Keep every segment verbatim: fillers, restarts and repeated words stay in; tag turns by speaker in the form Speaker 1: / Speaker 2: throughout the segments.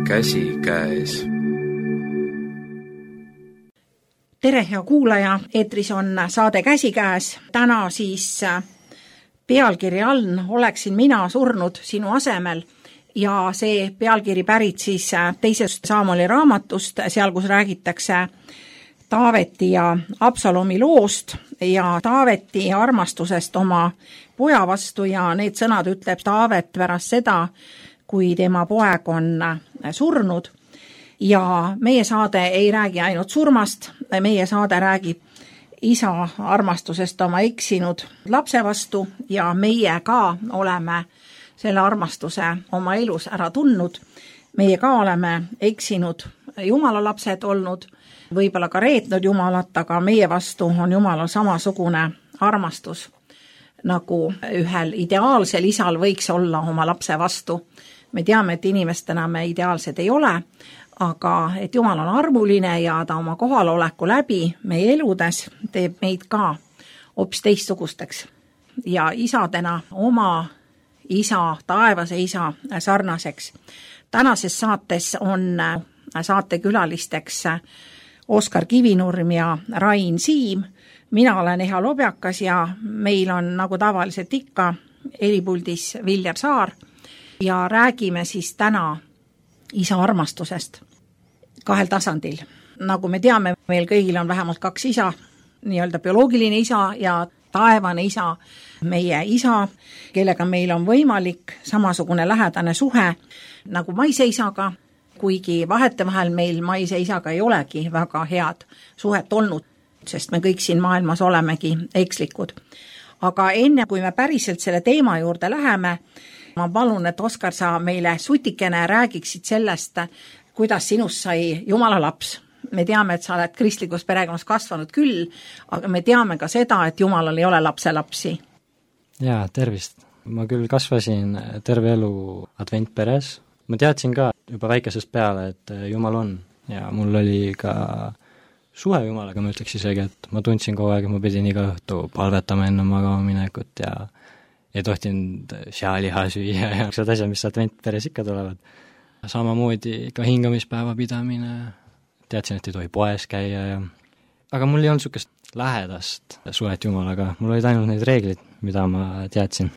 Speaker 1: käsikäes.
Speaker 2: Tere, hea kuulaja, eetris on saade Käsikäes. Täna siis pealkiri all oleksin mina surnud sinu asemel ja see pealkiri pärit siis teisest Saamoli raamatust, seal kus räägitakse Taaveti ja Absalomi loost ja Taaveti armastusest oma poja vastu ja need sõnad ütleb Taavet pärast seda, kui tema poeg on surnud. Ja meie saade ei räägi ainult surmast, meie saade räägib isa armastusest oma eksinud lapse vastu ja meie ka oleme selle armastuse oma elus ära tundnud. Meie ka oleme eksinud Jumala lapsed olnud, võib-olla ka reetnud Jumalat, aga meie vastu on Jumalal samasugune armastus, nagu ühel ideaalsel isal võiks olla oma lapse vastu. Me teame, et inimestena me ideaalsed ei ole, aga et Jumal on armuline ja ta oma kohaloleku läbi meie eludes teeb meid ka hoopis teistsugusteks. Ja isadena oma isa, taevase isa sarnaseks. Tänases saates on saatekülalisteks Oskar Kivinurm ja Rain Siim. Mina olen Eha Lobjakas ja meil on nagu tavaliselt ikka helipuldis Viljar Saar ja räägime siis täna isa armastusest kahel tasandil. Nagu me teame, meil kõigil on vähemalt kaks isa, nii-öelda bioloogiline isa ja taevane isa, meie isa, kellega meil on võimalik samasugune lähedane suhe nagu maise isaga, kuigi vahetevahel meil maise isaga ei olegi väga head suhet olnud, sest me kõik siin maailmas olemegi ekslikud. Aga enne, kui me päriselt selle teema juurde läheme, ma palun, et Oskar, sa meile sutikene räägiksid sellest, kuidas sinust sai Jumala laps. Me teame, et sa oled kristlikus perekonnas kasvanud küll, aga me teame ka seda, et Jumalal ei ole lapse lapsi.
Speaker 3: Jaa, tervist. Ma küll kasvasin terve elu adventperes. Ma teadsin ka juba väikesest peale, et Jumal on ja mul oli ka suhe Jumalaga, ma ütleks isegi, et ma tundsin kogu aeg, et ma pidin iga õhtu palvetama enne magama minekut ja ei tohtinud sealiha süüa ja need asjad, mis adventperes ikka tulevad. Samamoodi ka hingamispäeva pidamine, teadsin, et ei tohi poes käia ja... aga mul ei olnud sukest lähedast suhet Jumalaga, mul olid ainult need reeglid, mida ma teadsin.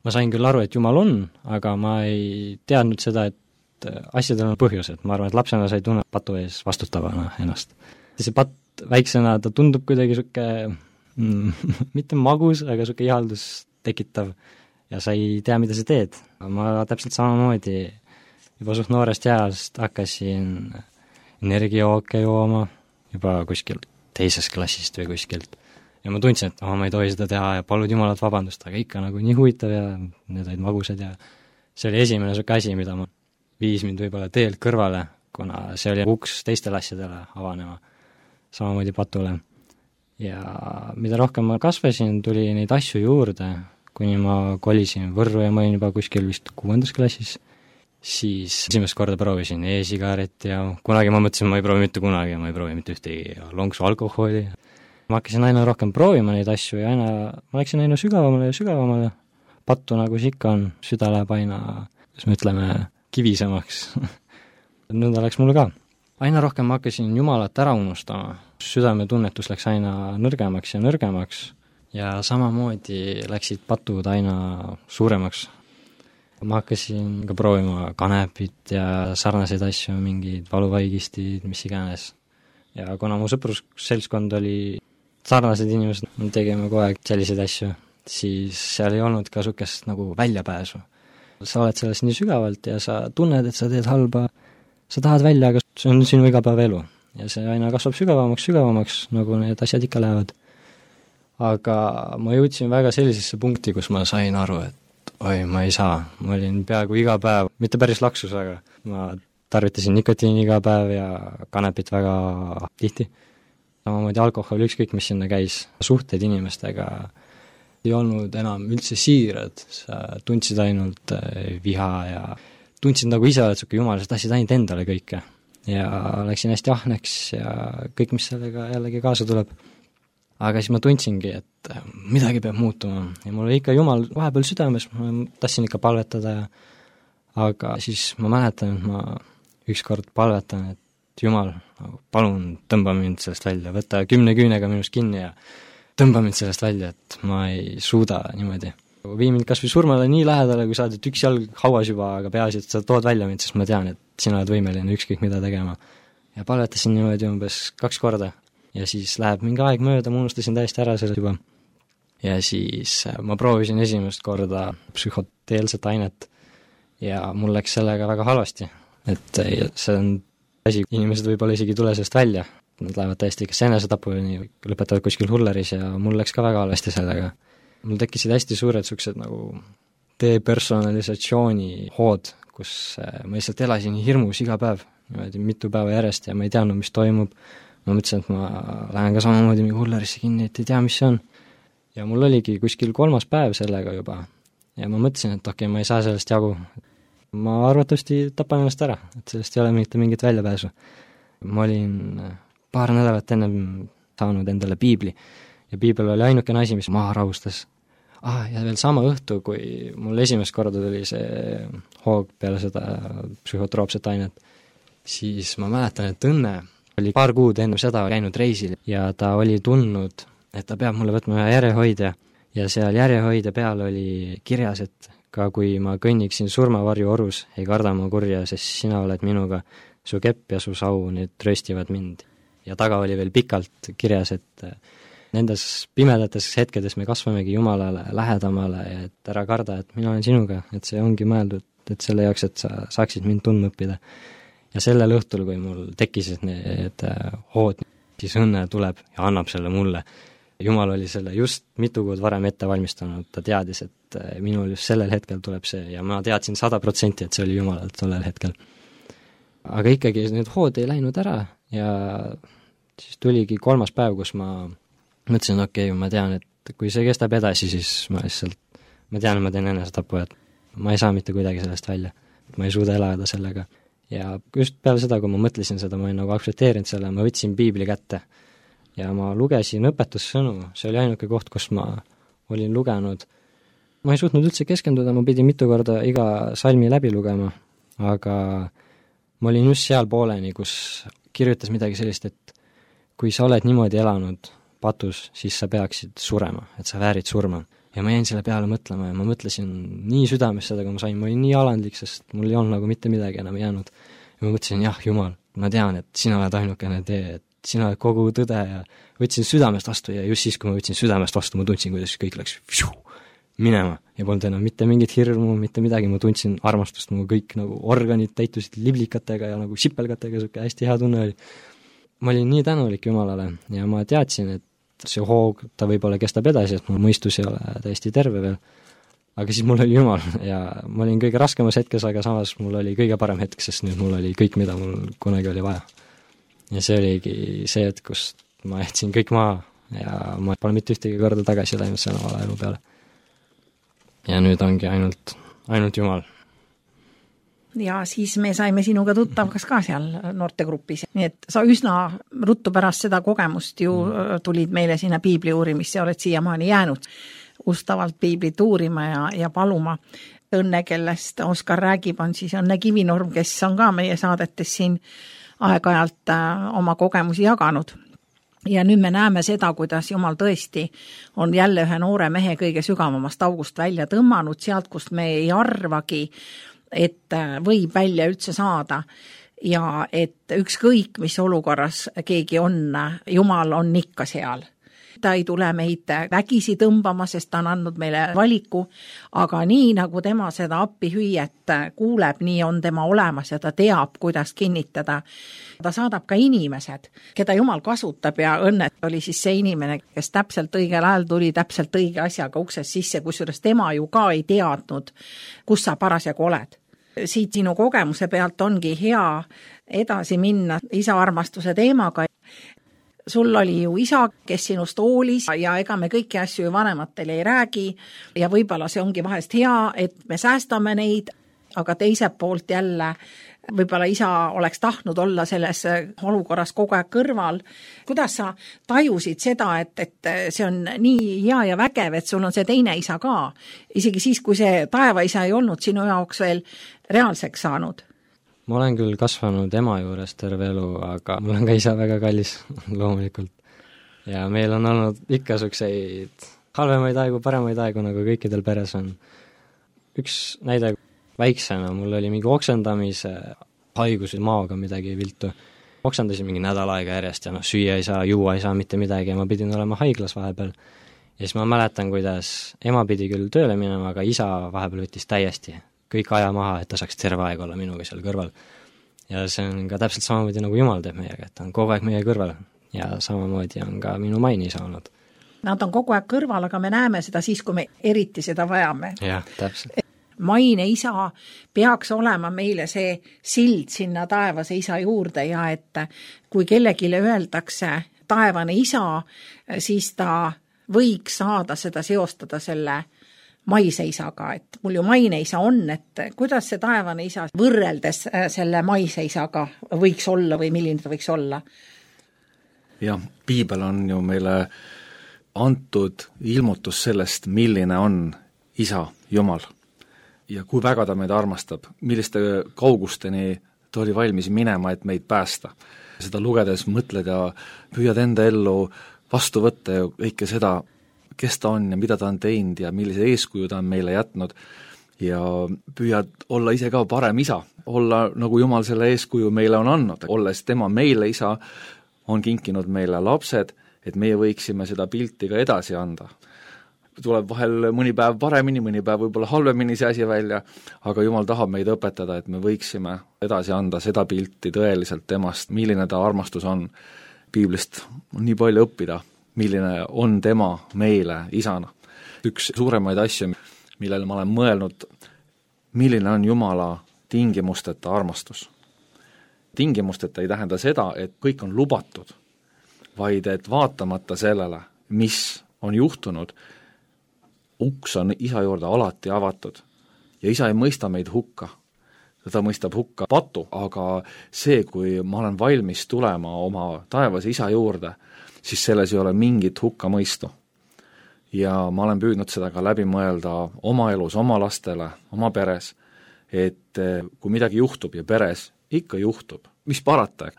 Speaker 3: Ma sain küll aru, et Jumal on, aga ma ei teadnud seda, et asjadel on põhjused. Ma arvan, et lapsena sai tunne patu ees vastutavana ennast. See patt väiksena, ta tundub kuidagi suke mm, mitte magus, aga suke ihaldus tekitav ja sa ei tea, mida sa teed. Ma täpselt samamoodi juba suht noorest jääst hakkasin energiajooke jooma juba kuskil teises klassist või kuskilt. Ja ma tundsin, et oh, ma ei tohi seda teha ja palud Jumalat vabandust, aga ikka nagu nii huvitav ja need olid magusad ja see oli esimene suke asi, mida ma viis mind võib-olla teelt kõrvale, kuna see oli uks teistele asjadele avanema, samamoodi patule. Ja mida rohkem ma kasvasin, tuli neid asju juurde, kuni ma kolisin Võrru ja ma olin juba kuskil vist kuuendas klassis, siis esimest korda proovisin e-sigaret ja kunagi ma mõtlesin, ma ei proovi mitte kunagi ja ma ei proovi mitte ühtegi lonksu alkoholi. Ma hakkasin aina rohkem proovima neid asju ja aina, ma läksin aina sügavamale ja sügavamale. Pattu nagu see ikka on, süda läheb aina, kas me ütleme, kivisemaks. Nõnda läks mulle ka. Aina rohkem ma hakkasin Jumalat ära unustama. Südame tunnetus läks aina nõrgemaks ja nõrgemaks ja samamoodi läksid patud aina suuremaks. Ma hakkasin ka proovima kanepit ja sarnaseid asju, mingid valuvaigistid, mis iganes. Ja kuna mu sõprusseltskond oli sarnased inimesed, me tegime kogu aeg selliseid asju, siis seal ei olnud ka sukest nagu väljapääsu. Sa oled sellest nii sügavalt ja sa tunned, et sa teed halba, sa tahad välja, aga see on sinu igapäevaelu. Ja see aina kasvab sügavamaks, sügavamaks, nagu need asjad ikka lähevad. Aga ma jõudsin väga sellisesse punkti, kus ma sain aru, et oi, ma ei saa. Ma olin peaaegu iga päev, mitte päris laksus, aga ma tarvitasin nikotiini iga päev ja kanepit väga tihti. Samamoodi alkohol, ükskõik mis sinna käis. Suhted inimestega ei olnud enam üldse siirad, sa tundsid ainult viha ja tundsid nagu ise oled suke jumal, sa tahtsid ainult endale kõike. Ja läksin hästi ahneks ja kõik, mis sellega jällegi kaasa tuleb. Aga siis ma tundsingi, et midagi peab muutuma ja mul oli ikka Jumal vahepeal südames, ma tahtsin ikka palvetada ja aga siis ma mäletan, et ma ükskord palvetan, et Jumal, palun tõmba mind sellest välja, võta kümne küünega minust kinni ja tõmba mind sellest välja, et ma ei suuda niimoodi. Vii mind kas või surmale nii lähedale, kui saad, et üks jalg hauas juba, aga peaasi, et sa tood välja mind, sest ma tean, et sina oled võimeline ükskõik mida tegema. Ja palvetasin niimoodi umbes kaks korda ja siis läheb mingi aeg mööda, ma unustasin täiesti ära selle juba. Ja siis ma proovisin esimest korda psühhoteelset ainet ja mul läks sellega väga halvasti, et see on asi, inimesed võib-olla isegi tule sellest välja, nad lähevad täiesti kas enesetapuni, lõpetavad kuskil hulleris ja mul läks ka väga halvasti sellega. Mul tekkisid hästi suured suksed nagu depersonalisatsiooni hood, kus ma lihtsalt elasin hirmus iga päev, niimoodi mitu päeva järjest ja ma ei teadnud, mis toimub. Ma mõtlesin, et ma lähen ka samamoodi mingi hullerisse kinni, et ei tea, mis see on. Ja mul oligi kuskil kolmas päev sellega juba ja ma mõtlesin, et okei, okay, ma ei saa sellest jagu. Ma arvatavasti tapan ennast ära, et sellest ei ole mitte mingit väljapääsu. Ma olin paar nädalat enne saanud endale piibli ja piibel oli ainukene asi, mis maha rahustas. Ah, ja veel sama õhtu, kui mul esimest korda tuli see hoog peale seda psühhotroopset ainet, siis ma mäletan, et Õnne oli paar kuud enne seda käinud reisil ja ta oli tundnud, et ta peab mulle võtma ühe järjehoidja ja seal järjehoidja peal oli kirjas, et ka kui ma kõnniksin surmavarju orus, ei karda ma kurja, sest sina oled minuga, su kepp ja su sau, need tröstivad mind. Ja taga oli veel pikalt kirjas, et nendes pimedates hetkedes me kasvamegi Jumalale lähedamale, et ära karda, et mina olen sinuga, et see ongi mõeldud, et selle jaoks, et sa saaksid mind tundma õppida. Ja sellel õhtul, kui mul tekkisid need hood, siis Õnne tuleb ja annab selle mulle. Jumal oli selle just mitu kuud varem ette valmistanud, ta teadis, et minul just sellel hetkel tuleb see ja ma teadsin sada protsenti, et see oli Jumalalt tollel hetkel. Aga ikkagi need hood ei läinud ära ja siis tuligi kolmas päev, kus ma mõtlesin, okei, okay, ma tean, et kui see kestab edasi, siis ma lihtsalt, ma tean, et ma teen enesetapu, et ma ei saa mitte kuidagi sellest välja. Ma ei suuda elada sellega. Ja just peale seda, kui ma mõtlesin seda, ma olin nagu aktsepteerinud selle, ma võtsin piibli kätte ja ma lugesin õpetussõnu, see oli ainuke koht, kus ma olin lugenud. Ma ei suutnud üldse keskenduda, ma pidin mitu korda iga salmi läbi lugema, aga ma olin just seal pooleni, kus kirjutas midagi sellist, et kui sa oled niimoodi elanud patus, siis sa peaksid surema, et sa väärid surma. Ja ma jäin selle peale mõtlema ja ma mõtlesin nii südames seda, kui ma sain, ma olin nii alandlik, sest mul ei olnud nagu mitte midagi enam jäänud. Ja ma mõtlesin, jah, Jumal, ma tean, et sina oled ainukene tee, et sina oled kogu tõde ja võtsin südamest vastu ja just siis, kui ma võtsin südamest vastu, ma tundsin, kuidas kõik läks pšu, minema ja polnud enam mitte mingit hirmu, mitte midagi, ma tundsin armastust, mu kõik nagu organid täitusid liblikatega ja nagu sipelgatega, siuke hästi hea tunne oli. Ma olin nii tänulik Jumalale ja ma teadsin, et see hoog, ta võib-olla kestab edasi, et mu mõistus ei ole täiesti terve veel. Aga siis mul oli Jumal ja ma olin kõige raskemas hetkes, aga samas mul oli kõige parem hetk, sest nüüd mul oli kõik, mida mul kunagi oli vaja. Ja see oligi see, et kus ma jätsin kõik maha ja ma pole mitte ühtegi korda tagasi läinud selle vala elu peale. Ja nüüd ongi ainult, ainult Jumal.
Speaker 2: Ja siis me saime sinuga tuttavaks ka seal noortegrupis. Nii et sa üsna ruttu pärast seda kogemust ju tulid meile sinna piibli uurimisse ja oled siiamaani jäänud ustavalt piiblit uurima ja, ja paluma. Õnne, kellest Oskar räägib, on siis Õnne Kivinorm, kes on ka meie saadetes siin aeg-ajalt oma kogemusi jaganud. Ja nüüd me näeme seda, kuidas Jumal tõesti on jälle ühe noore mehe kõige sügavamast august välja tõmmanud, sealt, kust me ei arvagi, et võib välja üldse saada ja et ükskõik, mis olukorras keegi on, Jumal on ikka seal. Ta ei tule meid vägisi tõmbama, sest ta on andnud meile valiku, aga nii nagu tema seda appihüüet kuuleb, nii on tema olemas ja ta teab, kuidas kinnitada. Ta saadab ka inimesed, keda Jumal kasutab ja Õnne oli siis see inimene, kes täpselt õigel ajal tuli täpselt õige asjaga uksest sisse, kusjuures tema ju ka ei teadnud, kus sa parasjagu oled. Siit sinu kogemuse pealt ongi hea edasi minna isa armastuse teemaga. Sul oli ju isa, kes sinust hoolis ja ega me kõiki asju vanematele ei räägi ja võib-olla see ongi vahest hea, et me säästame neid aga teiselt poolt jälle võib-olla isa oleks tahtnud olla selles olukorras kogu aeg kõrval. Kuidas sa tajusid seda, et, et see on nii hea ja vägev, et sul on see teine isa ka, isegi siis, kui see taevaisa ei olnud sinu jaoks veel reaalseks saanud?
Speaker 3: Ma olen küll kasvanud ema juures terve elu, aga mul on ka isa väga kallis loomulikult. Ja meil on olnud ikka sukseid halvemaid aegu, paremaid aegu, nagu kõikidel peres on. Üks näide väiksena, mul oli mingi oksendamise haigus maoga midagi viltu. Oksendasin mingi nädal aega järjest ja noh, süüa ei saa, juua ei saa mitte midagi ja ma pidin olema haiglas vahepeal. Ja siis ma mäletan, kuidas ema pidi küll tööle minema, aga isa vahepeal võttis täiesti kõik aja maha, et ta saaks terve aeg olla minuga seal kõrval. Ja see on ka täpselt samamoodi nagu Jumal teeb meiega, et ta on kogu aeg meie kõrval ja samamoodi on ka minu maini saanud.
Speaker 2: Nad on kogu aeg kõrval, aga me näeme seda siis, kui me eriti seda vajame.
Speaker 3: Jah, täpselt.
Speaker 2: Maine isa peaks olema meile see sild sinna taevase isa juurde ja et kui kellegile öeldakse taevane isa, siis ta võiks saada seda seostada selle maise isaga, et mul ju maine isa on, et kuidas see taevane isa võrreldes selle maise isaga võiks olla või milline ta võiks olla?
Speaker 1: Jah, piibel on ju meile antud ilmutus sellest, milline on isa Jumal ja kui väga ta meid armastab, milliste kaugusteni ta oli valmis minema, et meid päästa. Seda lugedes mõtled ja püüad enda ellu vastu võtta ja kõike seda, kes ta on ja mida ta on teinud ja millise eeskuju ta on meile jätnud ja püüad olla ise ka parem isa, olla nagu Jumal selle eeskuju meile on andnud, olles tema meile isa, on kinkinud meile lapsed, et meie võiksime seda pilti ka edasi anda. Tuleb vahel mõni päev paremini, mõni päev võib-olla halvemini see asi välja, aga Jumal tahab meid õpetada, et me võiksime edasi anda seda pilti tõeliselt temast, milline ta armastus on. Piiblist on nii palju õppida, milline on tema meile isana. Üks suuremaid asju, millele ma olen mõelnud, milline on Jumala tingimusteta armastus. Tingimusteta ei tähenda seda, et kõik on lubatud, vaid et vaatamata sellele, mis on juhtunud, uks on isa juurde alati avatud ja isa ei mõista meid hukka. Ta mõistab hukka patu, aga see, kui ma olen valmis tulema oma taevase isa juurde, siis selles ei ole mingit hukka mõistu. Ja ma olen püüdnud seda ka läbi mõelda oma elus, oma lastele, oma peres, et kui midagi juhtub ja peres ikka juhtub, mis parata,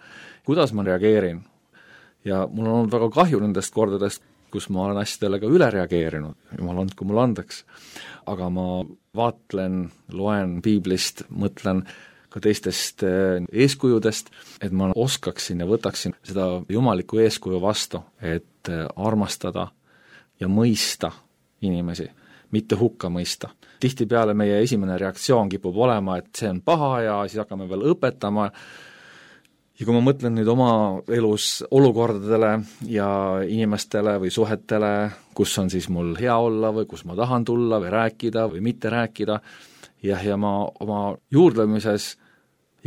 Speaker 1: kuidas ma reageerin. Ja mul on olnud väga kahju nendest kordadest, kus ma olen asjadele ka üle reageerinud, jumal andku mul andeks, aga ma vaatlen, loen piiblist, mõtlen ka teistest eeskujudest, et ma oskaksin ja võtaksin seda jumalikku eeskuju vastu, et armastada ja mõista inimesi, mitte hukka mõista. Tihtipeale meie esimene reaktsioon kipub olema, et see on paha ja siis hakkame veel õpetama. Ja kui ma mõtlen nüüd oma elus olukordadele ja inimestele või suhetele, kus on siis mul hea olla või kus ma tahan tulla või rääkida või mitte rääkida, ja, ja ma oma juurdlemises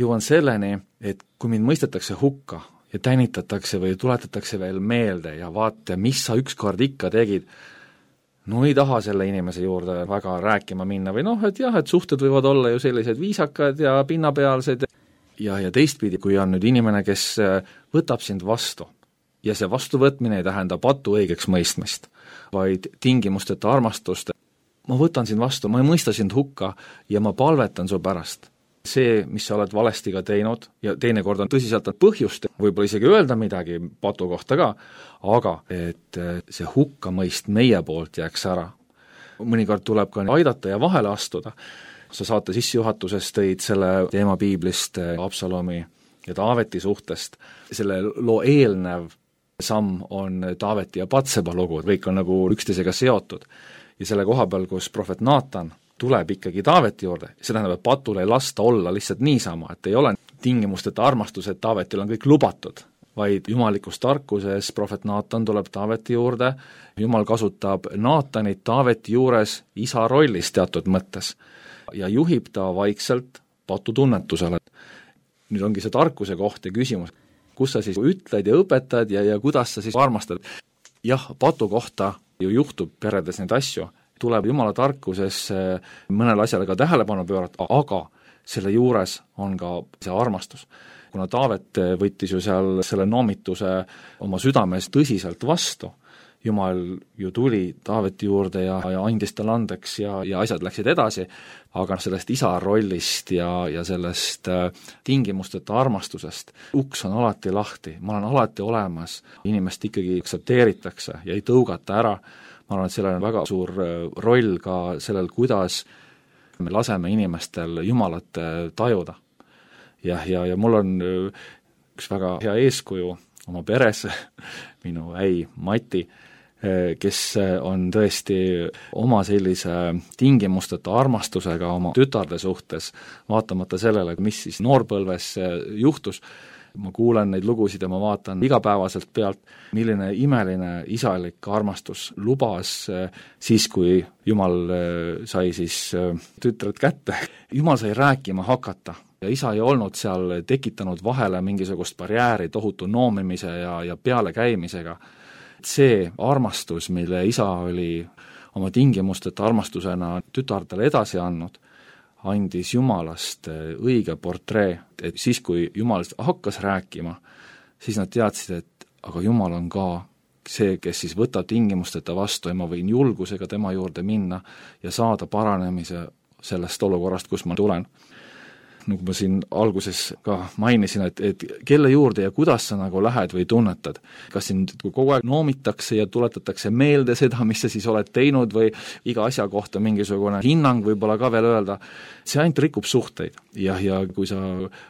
Speaker 1: jõuan selleni, et kui mind mõistetakse hukka ja tänitatakse või tuletatakse veel meelde ja vaata, mis sa ükskord ikka tegid, no ei taha selle inimese juurde väga rääkima minna või noh, et jah, et suhted võivad olla ju sellised viisakad ja pinnapealsed. Ja, ja teistpidi, kui on nüüd inimene, kes võtab sind vastu ja see vastuvõtmine ei tähenda patu õigeks mõistmist, vaid tingimusteta armastust. Ma võtan sind vastu, ma ei mõista sind hukka ja ma palvetan su pärast. See, mis sa oled valesti ka teinud ja teinekord on tõsiselt põhjust, võib-olla isegi öelda midagi patu kohta ka, aga et see hukkamõist meie poolt jääks ära. Mõnikord tuleb ka aidata ja vahele astuda. Sa saate sissejuhatuses tõid selle teema piiblist Absalomi ja Taaveti suhtest. Selle loo eelnev samm on Taaveti ja Patseba lugu, kõik on nagu üksteisega seotud. Ja selle koha peal, kus prohvet Naatan tuleb ikkagi Taaveti juurde, see tähendab, et patul ei lasta olla lihtsalt niisama, et ei ole tingimusteta armastus, et Taavetil on kõik lubatud, vaid jumalikus tarkuses prohvet Naatan tuleb Taaveti juurde, Jumal kasutab Naatanit Taaveti juures isa rollis teatud mõttes ja juhib ta vaikselt patutunnetusele. Nüüd ongi see tarkuse koht ja küsimus, kus sa siis ütled ja õpetad ja, ja kuidas sa siis armastad. Jah, patu kohta ju juhtub peredes neid asju, tuleb Jumala tarkuses mõnele asjale ka tähelepanu pöörata, aga selle juures on ka see armastus. Kuna Taavet võttis ju seal selle noomituse oma südames tõsiselt vastu, Jumal ju tuli Taaveti juurde ja, ja andis talle andeks ja, ja asjad läksid edasi, aga sellest isa rollist ja, ja sellest äh, tingimusteta armastusest uks on alati lahti, ma olen alati olemas, inimest ikkagi aktsepteeritakse ja ei tõugata ära. Ma arvan, et sellel on väga suur roll ka sellel, kuidas me laseme inimestel Jumalat tajuda. Ja, ja, ja mul on üks väga hea eeskuju oma peres, minu äi Mati, kes on tõesti oma sellise tingimusteta armastusega oma tütarde suhtes, vaatamata sellele, mis siis noorpõlves juhtus. Ma kuulen neid lugusid ja ma vaatan igapäevaselt pealt, milline imeline isalik armastus lubas siis, kui Jumal sai siis tütred kätte. Jumal sai rääkima hakata ja isa ei olnud seal tekitanud vahele mingisugust barjääri tohutu noomimise ja, ja pealekäimisega. See armastus, mille isa oli oma tingimusteta armastusena tütardele edasi andnud, andis Jumalast õige portree, et siis, kui Jumal hakkas rääkima, siis nad teadsid, et aga Jumal on ka see, kes siis võtab tingimusteta vastu ja ma võin julgusega tema juurde minna ja saada paranemise sellest olukorrast, kus ma tulen. Nagu ma siin alguses ka mainisin, et, et kelle juurde ja kuidas sa nagu lähed või tunnetad. Kas sind kogu aeg noomitakse ja tuletatakse meelde seda, mis sa siis oled teinud või iga asja kohta mingisugune hinnang võib-olla ka veel öelda. See ainult rikub suhteid ja, ja kui sa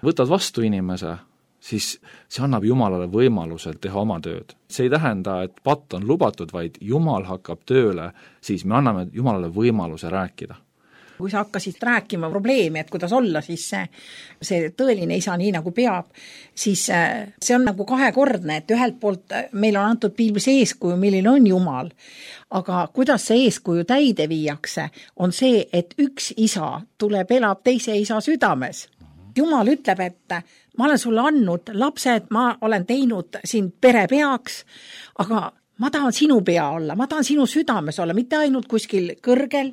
Speaker 1: võtad vastu inimese, siis see annab Jumalale võimaluse teha oma tööd. See ei tähenda, et patt on lubatud, vaid Jumal hakkab tööle, siis me anname Jumalale võimaluse rääkida.
Speaker 2: Kui sa hakkasid rääkima probleemi, et kuidas olla siis see, see tõeline isa nii nagu peab, siis see on nagu kahekordne, et ühelt poolt meil on antud piiblis eeskuju, milline on Jumal, aga kuidas see eeskuju täide viiakse, on see, et üks isa tuleb, elab teise isa südames. Jumal ütleb, et ma olen sulle andnud lapsed, ma olen teinud sind pere peaks, aga ma tahan sinu pea olla, ma tahan sinu südames olla, mitte ainult kuskil kõrgel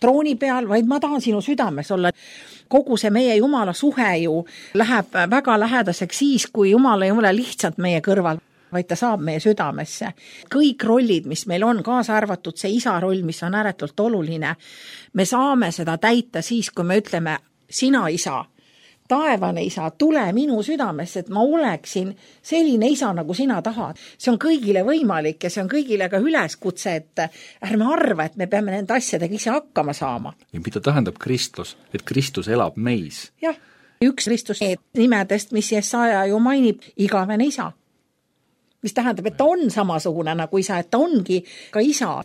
Speaker 2: trooni peal, vaid ma tahan sinu südames olla. Kogu see meie Jumala suhe ju läheb väga lähedaseks siis, kui Jumal ei ole lihtsalt meie kõrval, vaid ta saab meie südamesse. Kõik rollid, mis meil on, kaasa arvatud see isa roll, mis on ääretult oluline, me saame seda täita siis, kui me ütleme, sina isa, taevane isa, tule minu südamesse, et ma oleksin selline isa, nagu sina tahad. See on kõigile võimalik ja see on kõigile ka üleskutse, et ärme arva, et me peame nende asjadega ise hakkama saama.
Speaker 1: Ja mida tähendab Kristus? Et Kristus elab meis.
Speaker 2: Jah, üks Kristus nimedest, mis Jesaja ju mainib, igavene isa. Mis tähendab, et ta on samasugune nagu isa, et ta ongi ka isa.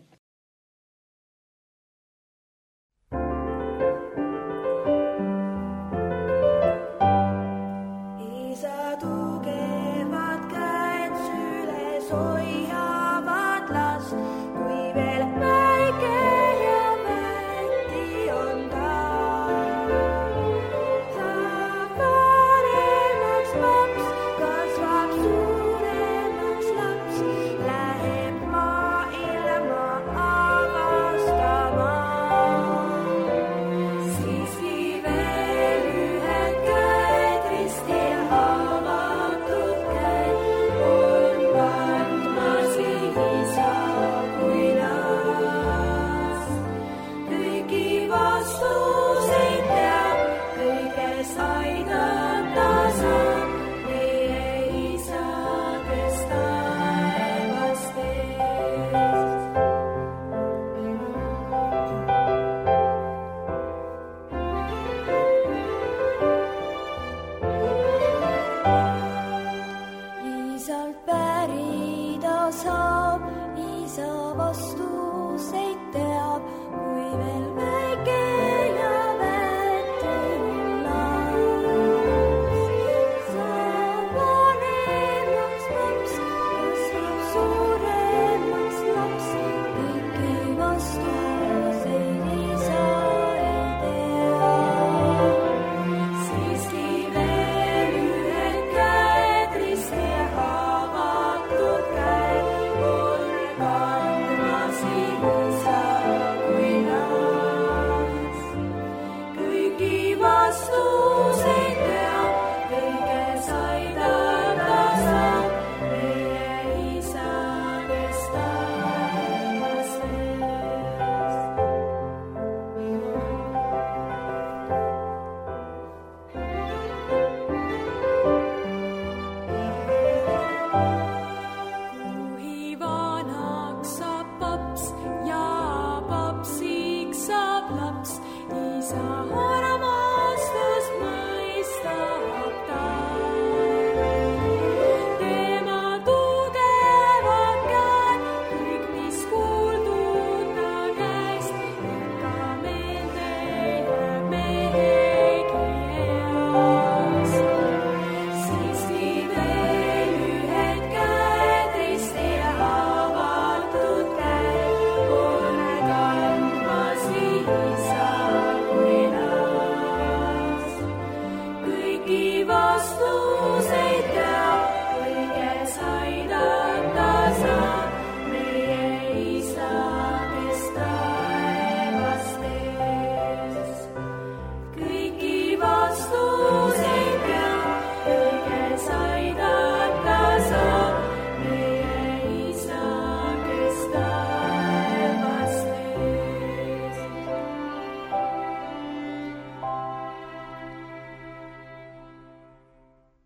Speaker 4: Vastu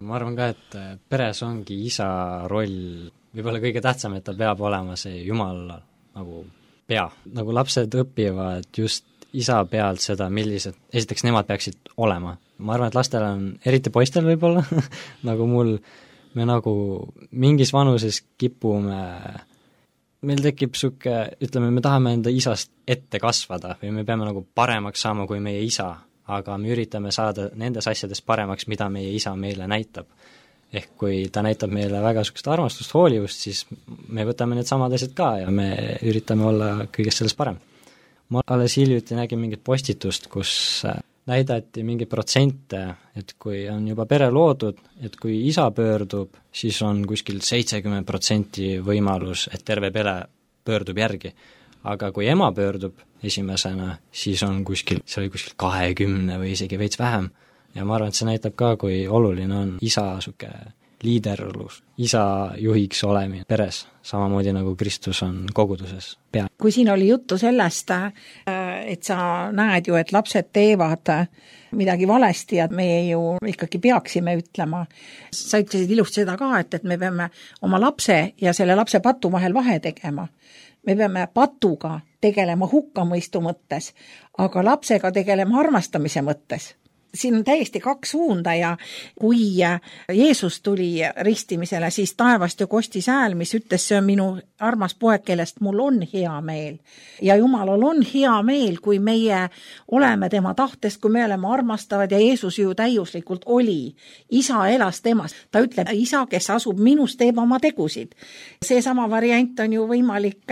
Speaker 3: ma arvan ka, et peres ongi isa roll võib-olla kõige tähtsam, et ta peab olema see Jumal nagu pea. Nagu lapsed õpivad just isa pealt seda, millised, esiteks nemad peaksid olema. Ma arvan, et lastel on, eriti poistel võib-olla nagu mul, me nagu mingis vanuses kipume, meil tekib suke, ütleme, me tahame enda isast ette kasvada või me peame nagu paremaks saama kui meie isa, aga me üritame saada nendes asjades paremaks, mida meie isa meile näitab. Ehk kui ta näitab meile väga sukest armastust, hoolivust, siis me võtame need samad asjad ka ja me üritame olla kõigest sellest parem. Ma alles hiljuti nägin mingit postitust, kus näidati mingeid protsente, et kui on juba pere loodud, et kui isa pöördub, siis on kuskil seitsekümmend protsenti võimalus, et terve pere pöördub järgi. Aga kui ema pöördub esimesena, siis on kuskil, see oli kuskil kahekümne või isegi veits vähem. Ja ma arvan, et see näitab ka, kui oluline on isa suke liiderlus, isa juhiks olemine peres, samamoodi nagu Kristus on koguduses pea.
Speaker 2: Kui siin oli juttu sellest, et sa näed ju, et lapsed teevad midagi valesti ja meie ju ikkagi peaksime ütlema, sa ütlesid ilusti seda ka, et, et me peame oma lapse ja selle lapse patu vahel vahe tegema. Me peame patuga tegelema hukkamõistu mõttes, aga lapsega tegelema armastamise mõttes. Siin on täiesti kaks suunda ja kui Jeesus tuli ristimisele, siis taevast ju kostis hääl, mis ütles, see on minu armas poeg, kellest mul on hea meel. Ja Jumalal on hea meel, kui meie oleme tema tahtest, kui me oleme armastavad ja Jeesus ju täiuslikult oli. Isa elas temas. Ta ütleb, isa, kes asub minus, teeb oma tegusid. See sama variant on ju võimalik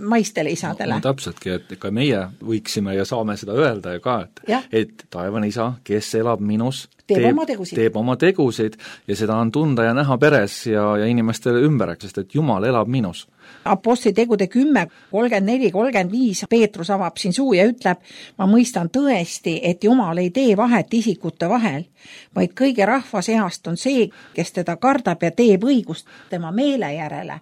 Speaker 2: maistele isadele.
Speaker 1: No, no täpseltki, et ka meie võiksime ja saame seda öelda ja ka, et, et taevane isa, kes elab minus,
Speaker 2: teeb,
Speaker 1: teeb,
Speaker 2: oma tegusid.
Speaker 1: teeb oma tegusid ja seda on tunda ja näha peres ja, ja inimestele ümber, sest et Jumal elab minus.
Speaker 2: Apostli tegude kümme, kolmkümmend neli, kolmkümmend viis Peetrus avab siin suu ja ütleb, ma mõistan tõesti, et Jumal ei tee vahet isikute vahel, vaid kõige rahva seast on see, kes teda kardab ja teeb õigust tema meele järele.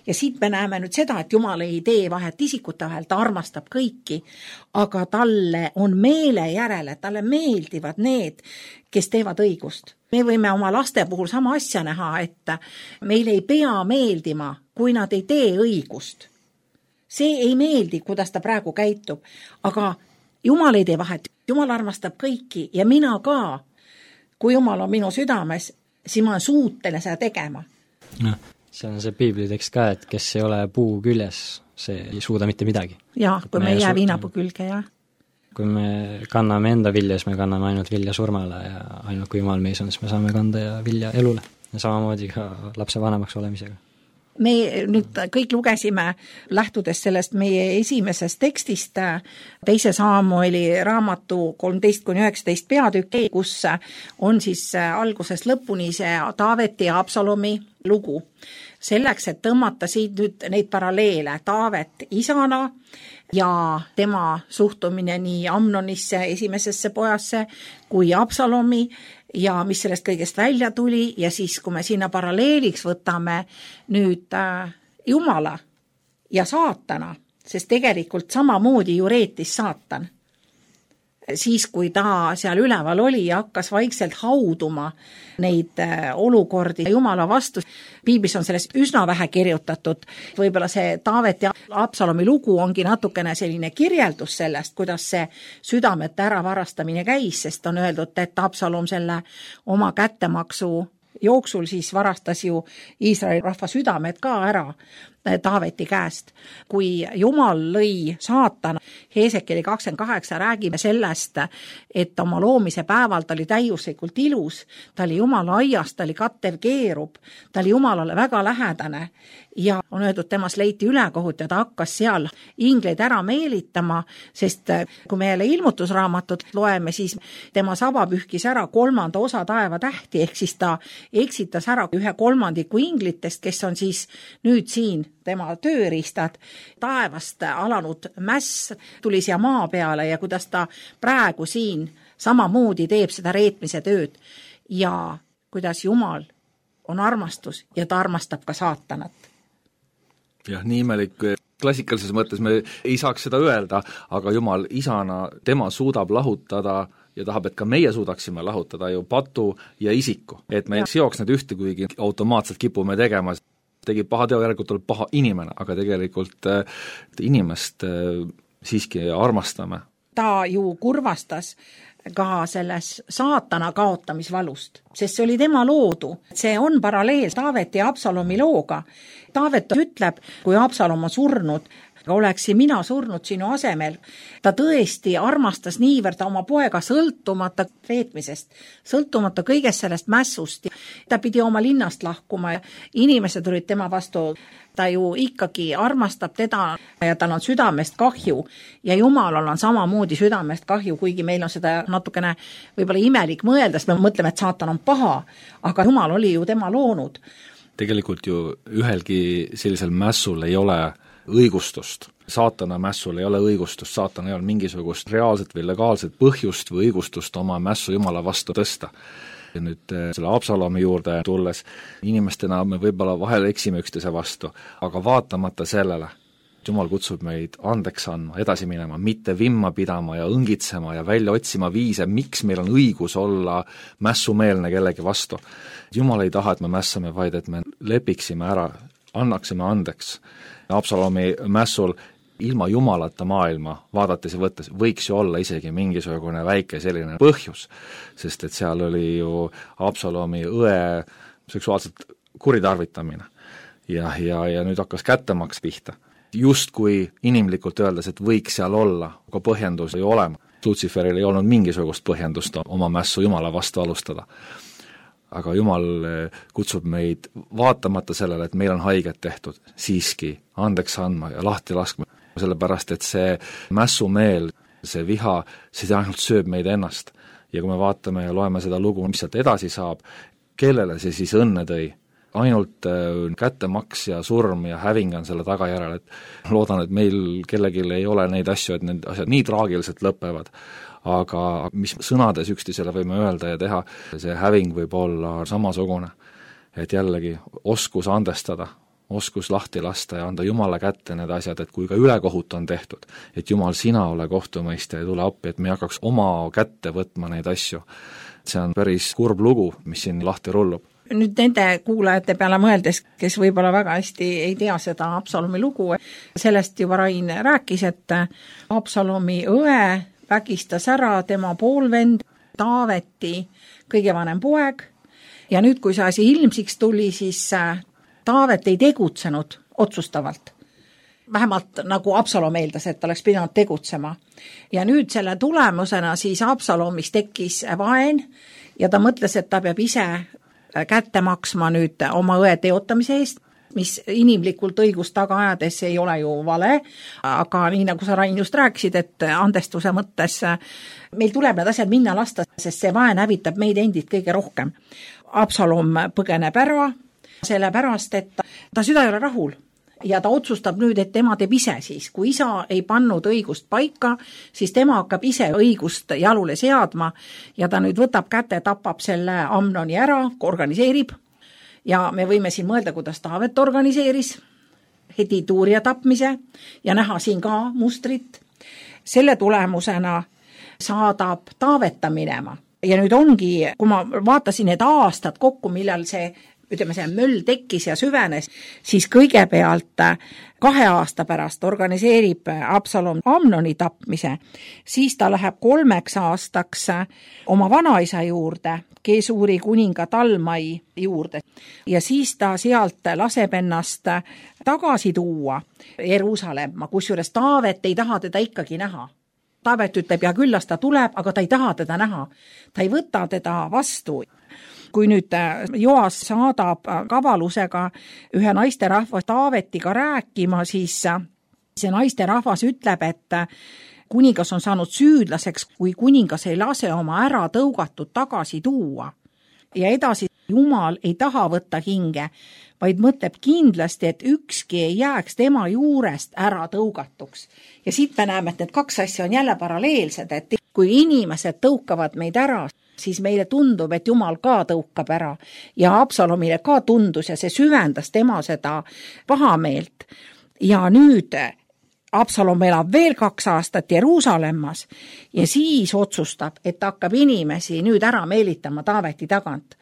Speaker 2: Ja siit me näeme nüüd seda, et Jumal ei tee vahet isikute vahel, ta armastab kõiki, aga talle on meele järele, talle meeldivad need, kes teevad õigust. Me võime oma laste puhul sama asja näha, et meil ei pea meeldima, kui nad ei tee õigust. See ei meeldi, kuidas ta praegu käitub, aga Jumal ei tee vahet. Jumal armastab kõiki ja mina ka. Kui Jumal on minu südames, siis ma olen suutele seda tegema.
Speaker 3: No, see on see piiblitekst ka, et kes ei ole puu küljes, see ei suuda mitte midagi.
Speaker 2: Ja, kui me ei jää viinapuu külge, jah.
Speaker 3: Kui me kanname enda vilja, siis me kanname ainult vilja surmale ja ainult kui Jumal meis on, siis me saame kanda ja vilja elule. Ja samamoodi ka lapse vanemaks olemisega.
Speaker 2: Me nüüd kõik lugesime, lähtudes sellest meie esimesest tekstist, teise Saamueli raamatu kolmteist kuni üheksateist peatükk, kus on siis algusest lõpuni see Taaveti ja Absalomi lugu. Selleks, et tõmmata siit nüüd neid paralleele, Taavet isana ja tema suhtumine nii Amnonisse, esimesesse pojasse, kui Absalomi ja mis sellest kõigest välja tuli ja siis, kui me sinna paralleeliks võtame nüüd äh, Jumala ja saatana, sest tegelikult samamoodi ju reetis saatan. Siis, kui ta seal üleval oli ja hakkas vaikselt hauduma neid olukordi Jumala vastu. Piiblis on sellest üsna vähe kirjutatud. Võib-olla see Taavet ja Absalomi lugu ongi natukene selline kirjeldus sellest, kuidas see südamete äravarastamine käis, sest on öeldud, et Absalom selle oma kättemaksu jooksul siis varastas ju Iisraeli rahva südamed ka ära Taaveti käest. Kui Jumal lõi saatan, Heesekeli kakskümmend kaheksa räägime sellest, et oma loomise päeval ta oli täiuslikult ilus, ta oli Jumala aias, ta oli kattev keerub, ta oli Jumalale väga lähedane ja on öeldud, temas leiti ülekohut ja ta hakkas seal ingleid ära meelitama, sest kui me jälle ilmutusraamatut loeme, siis tema saba pühkis ära kolmanda osa taeva tähti, ehk siis ta eksitas ära ühe kolmandiku inglitest, kes on siis nüüd siin tema tööriistad, taevast alanud mäss tuli siia maa peale ja kuidas ta praegu siin samamoodi teeb seda reetmise tööd ja kuidas Jumal on armastus ja ta armastab ka saatanat.
Speaker 1: Jah, nii imelik, klassikalises mõttes me ei saaks seda öelda, aga Jumal isana, tema suudab lahutada ja tahab, et ka meie suudaksime lahutada ju patu ja isiku, et me ja. seoks need ühte, kuigi automaatselt kipume tegema, tegi paha teo, järelikult tuleb paha inimene, aga tegelikult äh, inimest äh, siiski armastame.
Speaker 2: Ta ju kurvastas ka selles saatana kaotamisvalust, sest see oli tema loodu. See on paralleel Taaveti ja Absalomi looga. Taavet ütleb, kui Absalom on surnud, oleksin mina surnud sinu asemel. Ta tõesti armastas niivõrd oma poega sõltumata veetmisest, sõltumata kõigest sellest mässust. Ta pidi oma linnast lahkuma ja inimesed olid tema vastu. Ta ju ikkagi armastab teda ja tal on südamest kahju ja Jumalal on samamoodi südamest kahju, kuigi meil on seda natukene võib-olla imelik mõelda, sest me mõtleme, et saatan on paha, aga Jumal oli ju tema loonud.
Speaker 1: Tegelikult ju ühelgi sellisel mässul ei ole õigustust. Saatana mässul ei ole õigustust, saatan ei ole mingisugust reaalset või legaalset põhjust või õigustust oma mässu Jumala vastu tõsta. Ja nüüd selle Absalomi juurde tulles, inimestena me võib-olla vahel eksime üksteise vastu, aga vaatamata sellele, Jumal kutsub meid andeks andma, edasi minema, mitte vimma pidama ja õngitsema ja välja otsima viise, miks meil on õigus olla mässumeelne kellegi vastu. Jumal ei taha, et me mässame, vaid et me lepiksime ära, annaksime andeks. Absalomi mässul ilma Jumalata maailma vaadates ja võttes võiks ju olla isegi mingisugune väike selline põhjus, sest et seal oli ju Absalomi õe seksuaalselt kuritarvitamine ja, ja, ja nüüd hakkas kättemaks pihta. Just kui inimlikult öeldes, et võiks seal olla, aga põhjendus ei olema. Lutsiferil ei olnud mingisugust põhjendust oma mässu Jumala vastu alustada. Aga Jumal kutsub meid vaatamata sellele, et meil on haiget tehtud, siiski andeks andma ja lahti laskma, sellepärast et see mässumeel, see viha, see ainult sööb meid ennast. Ja kui me vaatame ja loeme seda lugu, mis sealt edasi saab, kellele see siis õnne tõi? Ainult kättemaks ja surm ja häving on selle tagajärel, et loodan, et meil kellelgi ei ole neid asju, et need asjad nii traagiliselt lõpevad. Aga mis sõnades üksteisele võime öelda ja teha, see häving võib olla samasugune, et jällegi oskus andestada, oskus lahti lasta ja anda Jumala kätte need asjad, et kui ka ülekohut on tehtud, et Jumal, sina ole kohtumõistja ja tule appi, et me hakkaks oma kätte võtma neid asju. See on päris kurb lugu, mis siin lahti rullub.
Speaker 2: Nüüd nende kuulajate peale mõeldes, kes võib-olla väga hästi ei tea seda Absalomi lugu, sellest juba Rain rääkis, et Absalomi õe vägistas ära tema poolvend Taaveti kõige vanem poeg ja nüüd, kui see asi ilmsiks tuli, siis Taavet ei tegutsenud otsustavalt. Vähemalt nagu Absalom eeldas, et oleks pidanud tegutsema. Ja nüüd selle tulemusena siis Absalomis tekkis vaen ja ta mõtles, et ta peab ise kätte maksma nüüd oma õe teotamise eest, mis inimlikult õigust taga ajades ei ole ju vale, aga nii nagu sa, Rain, just rääkisid, et andestuse mõttes meil tuleb need asjad minna lasta, sest see vaen hävitab meid endid kõige rohkem. Absalom põgeneb ära, sellepärast, et ta süda ei ole rahul ja ta otsustab nüüd, et tema teeb ise siis. Kui isa ei pannud õigust paika, siis tema hakkab ise õigust jalule seadma ja ta nüüd võtab kätte, tapab selle Amnoni ära, organiseerib ja me võime siin mõelda, kuidas Taavet organiseeris Hedituuria tapmise ja näha siin ka mustrit. Selle tulemusena saadab Taaveta minema ja nüüd ongi, kui ma vaatasin need aastad kokku, millal see ütleme, see möll tekkis ja süvenes, siis kõigepealt kahe aasta pärast organiseerib Absalom Amnoni tapmise, siis ta läheb kolmeks aastaks oma vanaisa juurde, Gesuuri kuninga Talmai juurde ja siis ta sealt laseb ennast tagasi tuua Jeruusalemma, kusjuures Taavet ei taha teda ikkagi näha. Taavet ütleb, ja küll las ta tuleb, aga ta ei taha teda näha. Ta ei võta teda vastu. Kui nüüd Joas saadab kavalusega ühe naisterahva Taavetiga rääkima, siis see naisterahvas ütleb, et kuningas on saanud süüdlaseks, kui kuningas ei lase oma ära tõugatud tagasi tuua. Ja edasi Jumal ei taha võtta hinge, vaid mõtleb kindlasti, et ükski ei jääks tema juurest ära tõugatuks. Ja siit me näeme, et need kaks asja on jälle paralleelsed, et kui inimesed tõukavad meid ära, siis meile tundub, et Jumal ka tõukab ära ja Absalomile ka tundus ja see süvendas tema seda pahameelt. Ja nüüd Absalom elab veel kaks aastat Jeruusalemmas ja siis otsustab, et ta hakkab inimesi nüüd ära meelitama Taaveti tagant.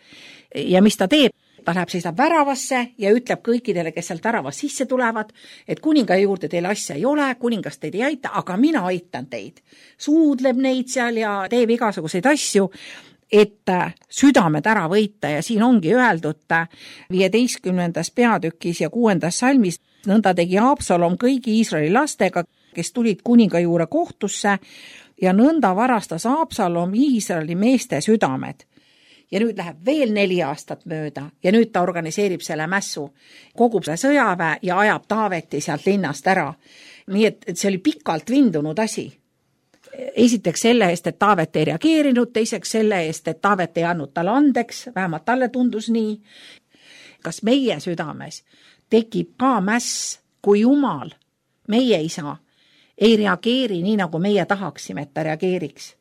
Speaker 2: Ja mis ta teeb? Ta läheb, seisab väravasse ja ütleb kõikidele, kes sealt väravast sisse tulevad, et kuninga juurde teil asja ei ole, kuningas teid ei aita, aga mina aitan teid. Suudleb neid seal ja teeb igasuguseid asju, et südamed ära võita ja siin ongi öeldud viieteistkümnendas peatükis ja kuuendas salmis, nõnda tegi Absalom kõigi Iisraeli lastega, kes tulid kuninga juurde kohtusse ja nõnda varastas Absalom Iisraeli meeste südamed. Ja nüüd läheb veel neli aastat mööda ja nüüd ta organiseerib selle mässu, kogub selle sõjaväe ja ajab Taaveti sealt linnast ära. Nii et, et see oli pikalt vindunud asi. Esiteks selle eest, et Taavet ei reageerinud, teiseks selle eest, et Taavet ei andnud talle andeks, vähemalt talle tundus nii. Kas meie südames tekib ka mäss, kui Jumal, meie isa, ei reageeri nii, nagu meie tahaksime, et ta reageeriks.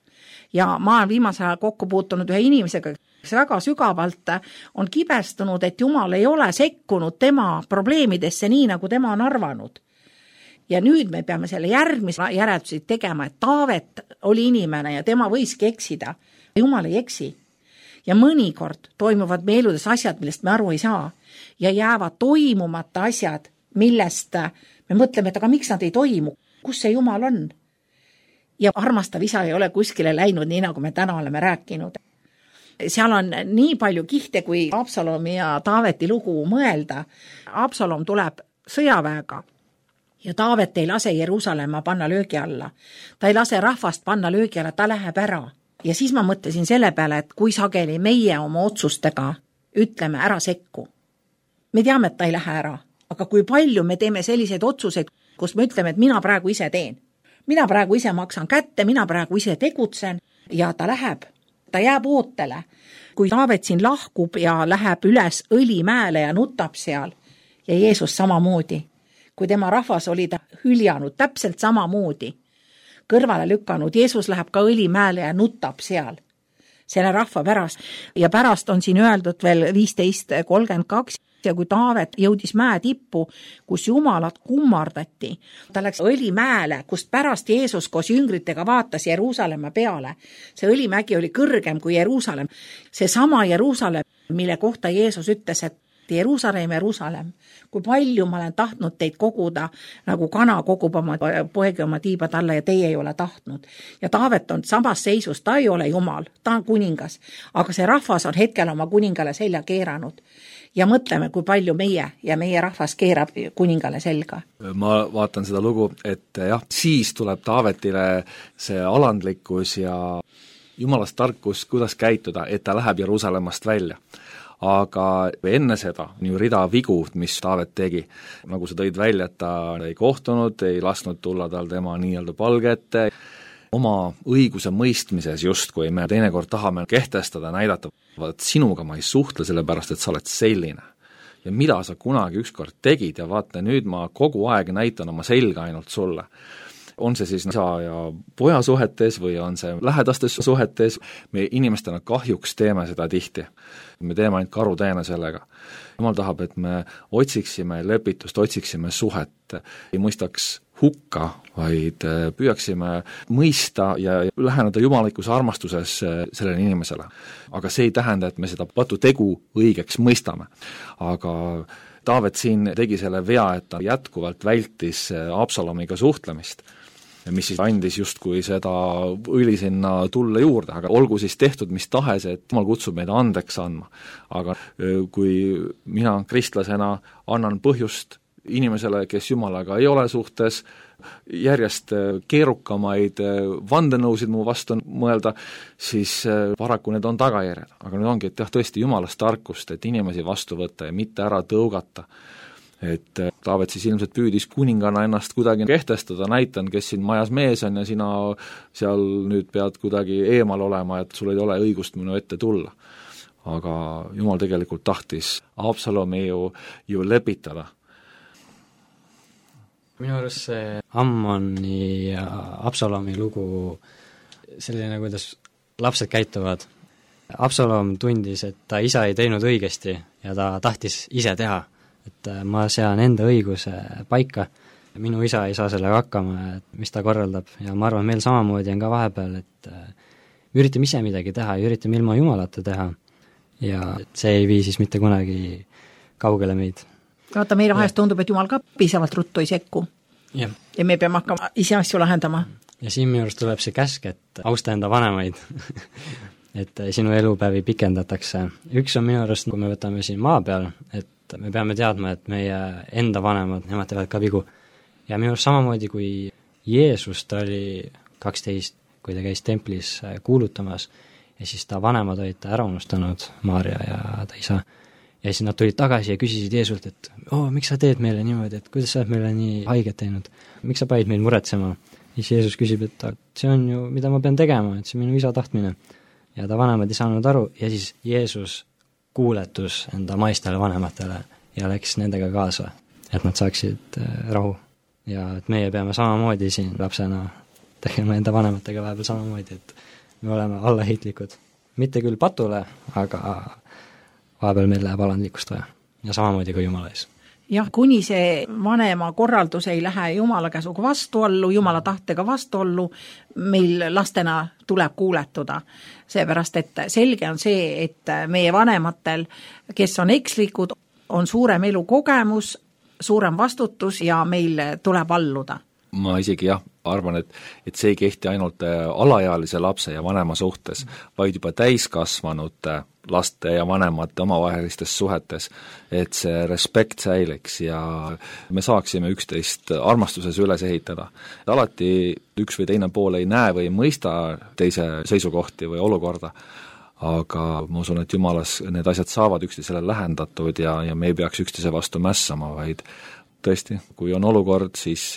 Speaker 2: Ja ma olen viimasel ajal kokku puutunud ühe inimesega, kes väga sügavalt on kibestunud, et Jumal ei ole sekkunud tema probleemidesse nii, nagu tema on arvanud. Ja nüüd me peame selle järgmise järeldusi tegema, et Taavet oli inimene ja tema võiski eksida. Jumal ei eksi. Ja mõnikord toimuvad me eludes asjad, millest me aru ei saa. Ja jäävad toimumata asjad, millest me mõtleme, et aga miks nad ei toimu? Kus see Jumal on? Ja armastav isa ei ole kuskile läinud nii, nagu me täna oleme rääkinud. Seal on nii palju kihte, kui Absalomi ja Taaveti lugu mõelda. Absalom tuleb sõjaväega ja Taavet ei lase Jeruusalemma panna löögi alla. Ta ei lase rahvast panna löögi alla, ta läheb ära. Ja siis ma mõtlesin selle peale, et kui sageli meie oma otsustega ütleme ära sekku. Me teame, et ta ei lähe ära, aga kui palju me teeme selliseid otsuseid, kus me ütleme, et mina praegu ise teen. Mina praegu ise maksan kätte, mina praegu ise tegutsen ja ta läheb. Ta jääb ootele. Kui Taavet siin lahkub ja läheb üles Õlimäele ja nutab seal ja Jeesus samamoodi. Kui tema rahvas oli ta hüljanud täpselt samamoodi, kõrvale lükanud, Jeesus läheb ka Õlimäele ja nutab seal selle rahva pärast. Ja pärast on siin öeldud veel viisteist kolmkümmend kaks ja kui Taavet jõudis mäe tippu, kus jumalat kummardati, ta läks Õlimäele, kust pärast Jeesus koos jüngritega vaatas Jeruusalemma peale. See Õlimägi oli kõrgem kui Jeruusalemm. See sama Jeruusalemm, mille kohta Jeesus ütles, et Jeruusalemm, Jeruusalemm, kui palju ma olen tahtnud teid koguda, nagu kana kogub oma poegi oma tiibad alla ja teie ei ole tahtnud. Ja Taavet on samas seisus, ta ei ole Jumal, ta on kuningas, aga see rahvas on hetkel oma kuningale selja keeranud. Ja mõtleme, kui palju meie ja meie rahvas keerab kuningale selga.
Speaker 1: Ma vaatan seda lugu, et jah, siis tuleb Taavetile see alandlikkus ja jumalast tarkus, kuidas käituda, et ta läheb Jeruusalemmast välja. Aga enne seda on ju rida vigu, mis Taavet tegi. Nagu sa tõid välja, et ta ei kohtunud, ei lasknud tulla tal tema nii-öelda palgete. Oma õiguse mõistmises just, kui me teinekord tahame kehtestada, näidata, vaat sinuga ma ei suhtle sellepärast, et sa oled selline. Ja mida sa kunagi ükskord tegid ja vaata, nüüd ma kogu aeg näitan oma selga ainult sulle. On see siis isa ja poja suhetes või on see lähedastes suhetes, me inimestena kahjuks teeme seda tihti. Me teeme ainult karuteene sellega. Jumal tahab, et me otsiksime lepitust, otsiksime suhet, ei mõistaks hukka, vaid püüaksime mõista ja läheneda jumalikus armastuses sellele inimesele. Aga see ei tähenda, et me seda patu tegu õigeks mõistame. Aga Taavet siin tegi selle vea, et ta jätkuvalt vältis Absalomiga suhtlemist, mis siis andis justkui seda õli sinna tulle juurde, aga olgu siis tehtud mis tahes, et Jumal kutsub meid andeks andma. Aga kui mina kristlasena annan põhjust inimesele, kes Jumalaga ei ole suhtes, järjest keerukamaid vandenõusid mu vastu mõelda, siis paraku need on tagajärjed. Aga nüüd ongi, et jah, tõesti Jumalast tarkust, et inimesi vastu võtta ja mitte ära tõugata. Et Taavet siis ilmselt püüdis kuningana ennast kuidagi kehtestada, näitan, kes siin majas mees on ja sina seal nüüd pead kuidagi eemal olema, et sul ei ole õigust minu ette tulla. Aga Jumal tegelikult tahtis Absalomi ju, ju lepitada.
Speaker 3: Minu arust see Ammoni ja Absalomi lugu selline, kuidas lapsed käituvad. Absalom tundis, et ta isa ei teinud õigesti ja ta tahtis ise teha. Et ma sean enda õiguse paika. minu isa ei saa sellega hakkama, et mis ta korraldab ja ma arvan, meil samamoodi on ka vahepeal, et me üritame ise midagi teha ja üritame ilma Jumalata teha ja see ei vii siis mitte kunagi kaugele meid.
Speaker 2: Vaata, meil vahest tundub, et Jumal ka piisavalt ruttu ei sekku.
Speaker 3: Ja.
Speaker 2: ja me peame hakkama ise asju lahendama.
Speaker 3: Ja siin minu arust tuleb see käsk, et austa enda vanemaid et sinu elupäevi pikendatakse. Üks on minu arust, kui me võtame siin maa peal, et me peame teadma, et meie enda vanemad, nemad teevad ka vigu. Ja minu arust samamoodi, kui Jeesus, ta oli kaksteist, kui ta käis templis kuulutamas ja siis ta vanemad olid ta ära unustanud, Maarja ja ta isa. Ja siis nad tulid tagasi ja küsisid Jeesult, et oo, miks sa teed meile niimoodi, et kuidas sa oled meile nii haiget teinud, miks sa panid meil muretsema? Ja siis Jeesus küsib, et see on ju, mida ma pean tegema, et see on minu isa tahtmine. Ja ta vanemad ei saanud aru ja siis Jeesus kuuletus enda maistele vanematele ja läks nendega kaasa, et nad saaksid rahu. Ja et meie peame samamoodi siin lapsena tegema enda vanematega vahepeal samamoodi, et me oleme allaheitlikud. Mitte küll patule, aga vahepeal meil läheb alandlikkust vaja ja samamoodi ka Jumala ees.
Speaker 2: Jah, kuni see vanema korraldus ei lähe Jumala käsuga vastuollu, Jumala tahtega vastuollu, meil lastena tuleb kuuletuda. Seepärast, et selge on see, et meie vanematel, kes on ekslikud, on suurem elukogemus, suurem vastutus ja meil tuleb alluda.
Speaker 1: Ma isegi jah, arvan, et, et see ei kehti ainult alaealise lapse ja vanema suhtes, vaid juba täiskasvanute laste ja vanemate omavahelistes suhetes, et see respekt säiliks ja me saaksime üksteist armastuses üles ehitada. Alati üks või teine pool ei näe või ei mõista teise seisukohti või olukorda, aga ma usun, et Jumalas need asjad saavad üksteisele lähendatud ja, ja me ei peaks üksteise vastu mässama, vaid tõesti, kui on olukord, siis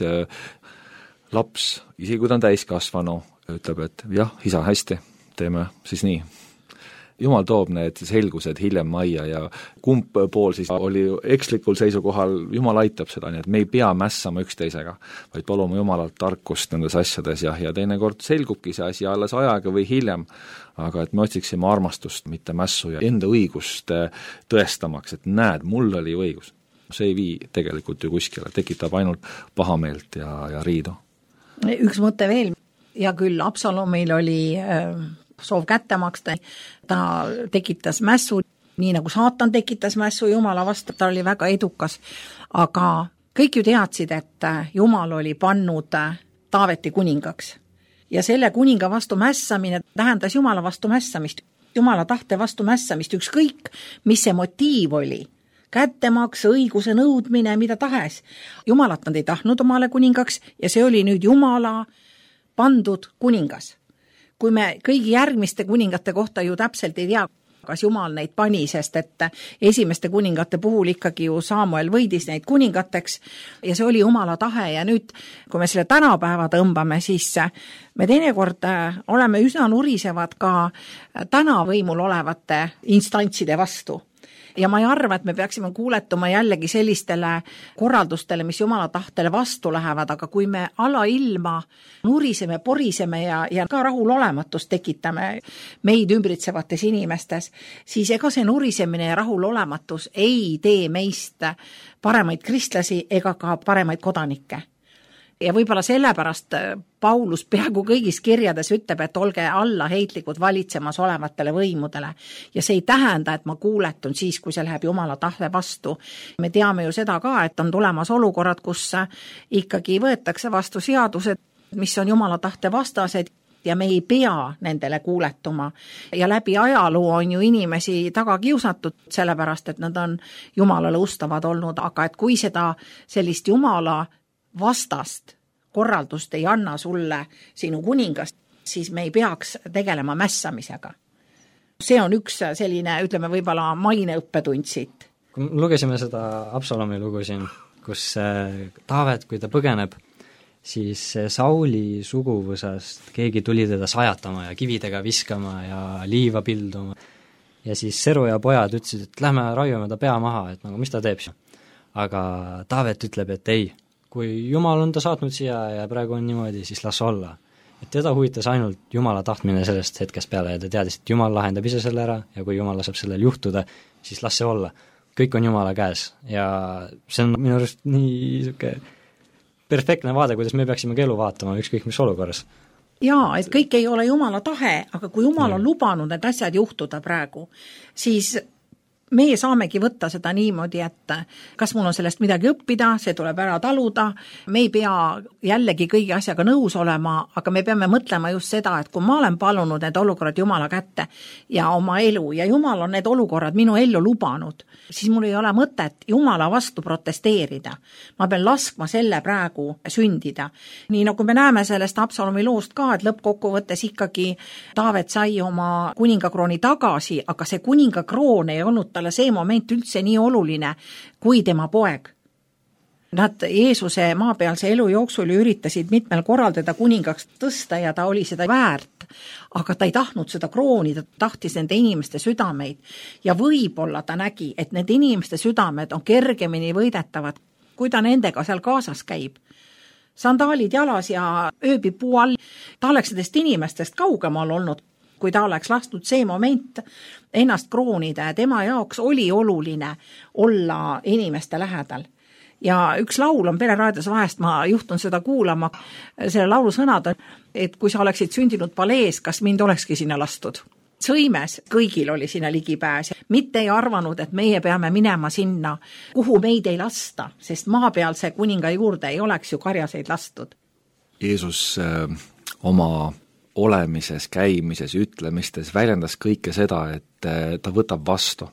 Speaker 1: laps, isegi kui ta on täiskasvanu, ütleb, et jah, isa, hästi, teeme siis nii. Jumal toob need selgused hiljem majja ja kumb pool siis oli ekslikul seisukohal, Jumal aitab seda, nii et me ei pea mässama üksteisega, vaid palume Jumalalt tarkust nendes asjades ja, ja teinekord selgubki see asi alles ajaga või hiljem, aga et me otsiksime armastust, mitte mässu ja enda õigust tõestamaks, et näed, mul oli õigus. See ei vii tegelikult ju kuskile, tekitab ainult pahameelt ja, ja riidu.
Speaker 2: Üks mõte veel, ja küll Absalomil oli äh, soov kätte maksta, ta tekitas mässu, nii nagu saatan tekitas mässu Jumala vastu, ta oli väga edukas, aga kõik ju teadsid, et Jumal oli pannud Taaveti kuningaks ja selle kuninga vastu mässamine tähendas Jumala vastu mässamist, Jumala tahte vastu mässamist, ükskõik, mis see motiiv oli, kättemaks, õiguse nõudmine, mida tahes. Jumalat nad ei tahtnud omale kuningaks ja see oli nüüd Jumala pandud kuningas. Kui me kõigi järgmiste kuningate kohta ju täpselt ei tea, kas Jumal neid pani, sest et esimeste kuningate puhul ikkagi ju Samuel võidis neid kuningateks ja see oli Jumala tahe ja nüüd, kui me selle tänapäeva tõmbame, siis me teinekord oleme üsna nurisevad ka täna võimul olevate instantside vastu. Ja ma ei arva, et me peaksime kuuletuma jällegi sellistele korraldustele, mis Jumala tahtele vastu lähevad, aga kui me alailma nuriseme, poriseme ja, ja ka rahulolematust tekitame meid ümbritsevates inimestes, siis ega see nurisemine ja rahulolematus ei tee meist paremaid kristlasi ega ka paremaid kodanikke. Ja võib-olla sellepärast Paulus peaaegu kõigis kirjades ütleb, et olge allaheitlikud valitsemas olevatele võimudele. Ja see ei tähenda, et ma kuuletun siis, kui see läheb Jumala tahte vastu. Me teame ju seda ka, et on tulemas olukorrad, kus ikkagi võetakse vastu seadused, mis on Jumala tahte vastased ja me ei pea nendele kuuletuma. Ja läbi ajaloo on ju inimesi taga kiusatud, sellepärast, et nad on Jumalale ustavad olnud, aga et kui seda sellist Jumala vastast korraldust ei anna sulle sinu kuningast, siis me ei peaks tegelema mässamisega. See on üks selline, ütleme, võib-olla maineõppetund siit.
Speaker 3: Kui lugesime seda Absalomi lugu siin, kus Taavet, kui ta põgeneb, siis Sauli suguvõsast keegi tuli teda sajatama ja kividega viskama ja liiva pilduma. Ja siis Seru ja pojad ütlesid, et lähme raiume ta pea maha, et nagu mis ta teeb siin. Aga Taavet ütleb, et ei, kui Jumal on ta saatnud siia ja praegu on niimoodi, siis las olla. Et teda huvitas ainult Jumala tahtmine sellest hetkest peale ja ta teadis, et Jumal lahendab ise selle ära ja kui Jumal laseb sellel juhtuda, siis las see olla. Kõik on Jumala käes ja see on minu arust nii suke perfektne vaade, kuidas me peaksime elu vaatama, ükskõik mis olukorras.
Speaker 2: Jaa, et kõik ei ole Jumala tahe, aga kui Jumal on lubanud need asjad juhtuda praegu, siis meie saamegi võtta seda niimoodi, et kas mul on sellest midagi õppida, see tuleb ära taluda, me ei pea jällegi kõigi asjaga nõus olema, aga me peame mõtlema just seda, et kui ma olen palunud need olukorrad Jumala kätte ja oma elu ja Jumal on need olukorrad minu ellu lubanud, siis mul ei ole mõtet Jumala vastu protesteerida. Ma pean laskma selle praegu sündida. Nii nagu me näeme sellest Absalomi loost ka, et lõppkokkuvõttes ikkagi Taavet sai oma kuningakrooni tagasi, aga see kuningakroon ei olnud talle see moment üldse nii oluline kui tema poeg. Nad Jeesuse maapealse elu jooksul üritasid mitmel korral teda kuningaks tõsta ja ta oli seda väärt, aga ta ei tahtnud seda krooni, ta tahtis nende inimeste südameid ja võib-olla ta nägi, et need inimeste südamed on kergemini võidetavad, kui ta nendega seal kaasas käib. Sandaalid jalas ja ööbib puu all, ta oleks nendest inimestest kaugemal olnud, kui ta oleks lastud see moment ennast kroonida ja tema jaoks oli oluline olla inimeste lähedal. Ja üks laul on Pere raadios vahest, ma juhtun seda kuulama, selle laulu sõnad on, et kui sa oleksid sündinud palees, kas mind olekski sinna lastud? Sõimes kõigil oli sinna ligipääs, mitte ei arvanud, et meie peame minema sinna, kuhu meid ei lasta, sest maapealse kuninga juurde ei oleks ju karjaseid lastud.
Speaker 1: Jeesus äh, oma olemises, käimises, ütlemistes väljendas kõike seda, et ta võtab vastu.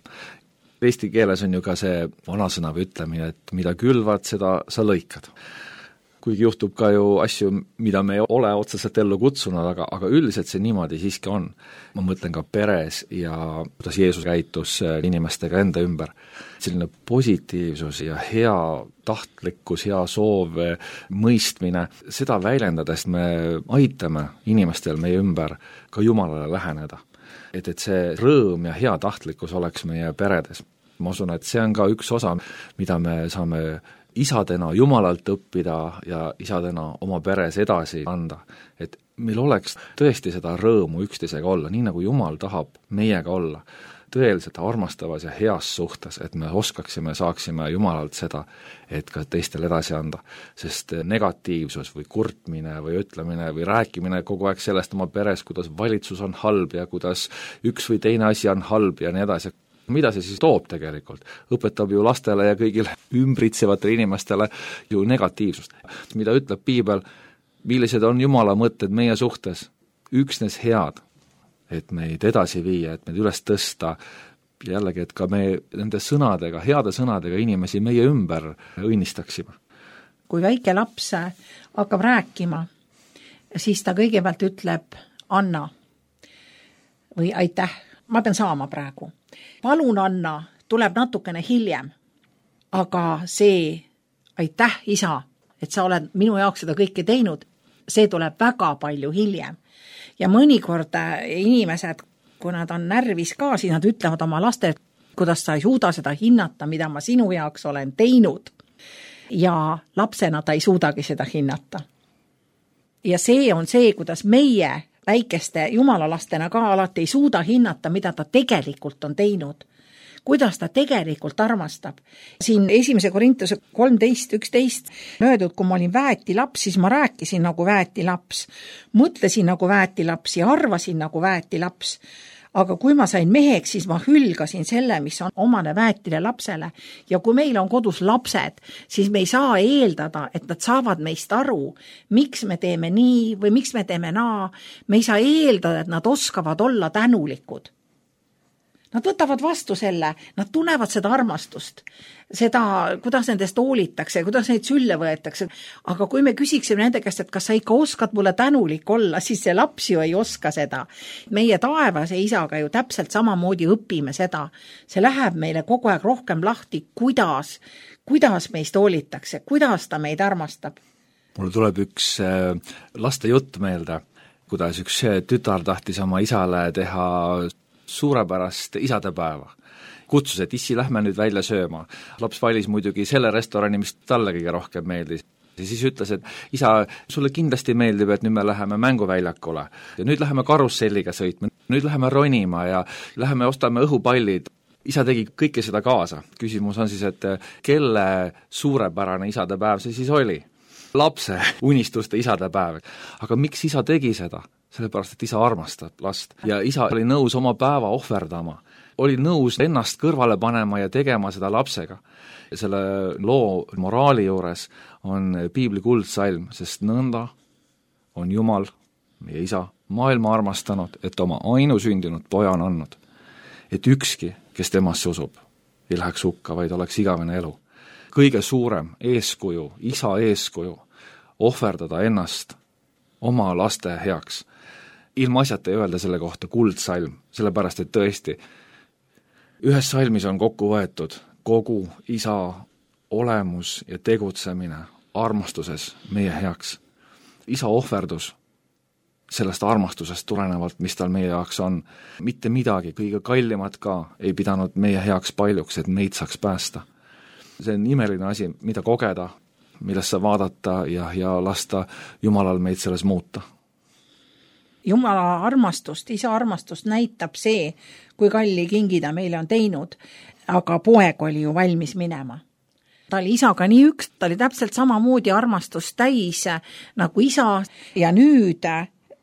Speaker 1: Eesti keeles on ju ka see vanasõna või ütlemine, et mida külvad, seda sa lõikad. Kuigi juhtub ka ju asju, mida me ei ole otseselt ellu kutsunud, aga, aga üldiselt see niimoodi siiski on. Ma mõtlen ka peres ja kuidas Jeesus käitus inimestega enda ümber. Selline positiivsus ja hea tahtlikkus, hea soov, mõistmine, seda väljendades me aitame inimestel meie ümber ka Jumalale läheneda. Et, et see rõõm ja hea tahtlikkus oleks meie peredes. Ma usun, et see on ka üks osa, mida me saame isadena Jumalalt õppida ja isadena oma peres edasi anda. Et meil oleks tõesti seda rõõmu üksteisega olla, nii nagu Jumal tahab meiega olla. Tõeliselt armastavas ja heas suhtes, et me oskaksime, saaksime Jumalalt seda, et ka teistel edasi anda. Sest negatiivsus või kurtmine või ütlemine või rääkimine kogu aeg sellest oma peres, kuidas valitsus on halb ja kuidas üks või teine asi on halb ja nii edasi. Mida see siis toob tegelikult? Õpetab ju lastele ja kõigile ümbritsevatele inimestele ju negatiivsust. Mida ütleb Piibel, millised on Jumala mõtted meie suhtes? Üksnes head, et meid edasi viia, et meid üles tõsta, jällegi, et ka me nende sõnadega, heade sõnadega inimesi meie ümber õnnistaksime.
Speaker 2: Kui väike laps hakkab rääkima, siis ta kõigepealt ütleb Anna või aitäh, ma pean saama praegu. Palun Anna tuleb natukene hiljem, aga see aitäh isa, et sa oled minu jaoks seda kõike teinud, see tuleb väga palju hiljem. Ja mõnikord inimesed, kui nad on närvis ka, siis nad ütlevad oma lastele, kuidas sa ei suuda seda hinnata, mida ma sinu jaoks olen teinud. Ja lapsena ta ei suudagi seda hinnata. Ja see on see, kuidas meie väikeste jumalalastena ka alati ei suuda hinnata, mida ta tegelikult on teinud. Kuidas ta tegelikult armastab. Siin esimese Korintuse kolmteist üksteist öeldud, kui ma olin väeti laps, siis ma rääkisin nagu väeti laps, mõtlesin nagu väeti laps ja arvasin nagu väeti laps. Aga kui ma sain meheks, siis ma hülgasin selle, mis on omane väetile lapsele. Ja kui meil on kodus lapsed, siis me ei saa eeldada, et nad saavad meist aru, miks me teeme nii või miks me teeme naa. Me ei saa eeldada, et nad oskavad olla tänulikud. Nad võtavad vastu selle, nad tunnevad seda armastust, seda, kuidas nendest hoolitakse, kuidas neid sülle võetakse. Aga kui me küsiksime nende käest, et kas sa ikka oskad mulle tänulik olla, siis see laps ju ei oska seda. Meie taevase isaga ju täpselt samamoodi õpime seda. See läheb meile kogu aeg rohkem lahti, kuidas, kuidas meist hoolitakse, kuidas ta meid armastab.
Speaker 1: Mulle tuleb üks laste jutt meelde, kuidas üks tütar tahtis oma isale teha suurepärast isadepäeva. Kutsus, et issi, lähme nüüd välja sööma. Laps valis muidugi selle restorani, mis talle kõige rohkem meeldis. Ja siis ütles, et isa, sulle kindlasti meeldib, et nüüd me läheme mänguväljakule. Ja nüüd läheme karusselliga sõitma. Nüüd läheme ronima ja läheme ostame õhupallid. Isa tegi kõike seda kaasa. Küsimus on siis, et kelle suurepärane isadepäev see siis oli? lapse unistuste isadepäev. Aga miks isa tegi seda? Sellepärast, et isa armastab last ja isa oli nõus oma päeva ohverdama, oli nõus ennast kõrvale panema ja tegema seda lapsega. Selle loo moraali juures on piibli kuldsalm, sest nõnda on Jumal, meie isa, maailma armastanud, et oma ainusündinud poja on andnud. Et ükski, kes temasse usub, ei läheks hukka, vaid oleks igavene elu. Kõige suurem eeskuju, isa eeskuju, ohverdada ennast oma laste heaks. Ilma asjata ei öelda selle kohta kuldsalm, sellepärast, et tõesti, ühes salmis on kokku võetud kogu isa olemus ja tegutsemine armastuses meie heaks. Isa ohverdus sellest armastusest tulenevalt, mis tal meie jaoks on, mitte midagi, kõige kallimat ka ei pidanud meie heaks paljuks, et meid saaks päästa. See on imeline asi, mida kogeda, millesse vaadata ja, ja lasta Jumalal meid selles muuta.
Speaker 2: Jumala armastust, isa armastust näitab see, kui kalli kingi ta meile on teinud, aga poeg oli ju valmis minema. Ta oli isaga nii üks, ta oli täpselt samamoodi armastust täis nagu isa ja nüüd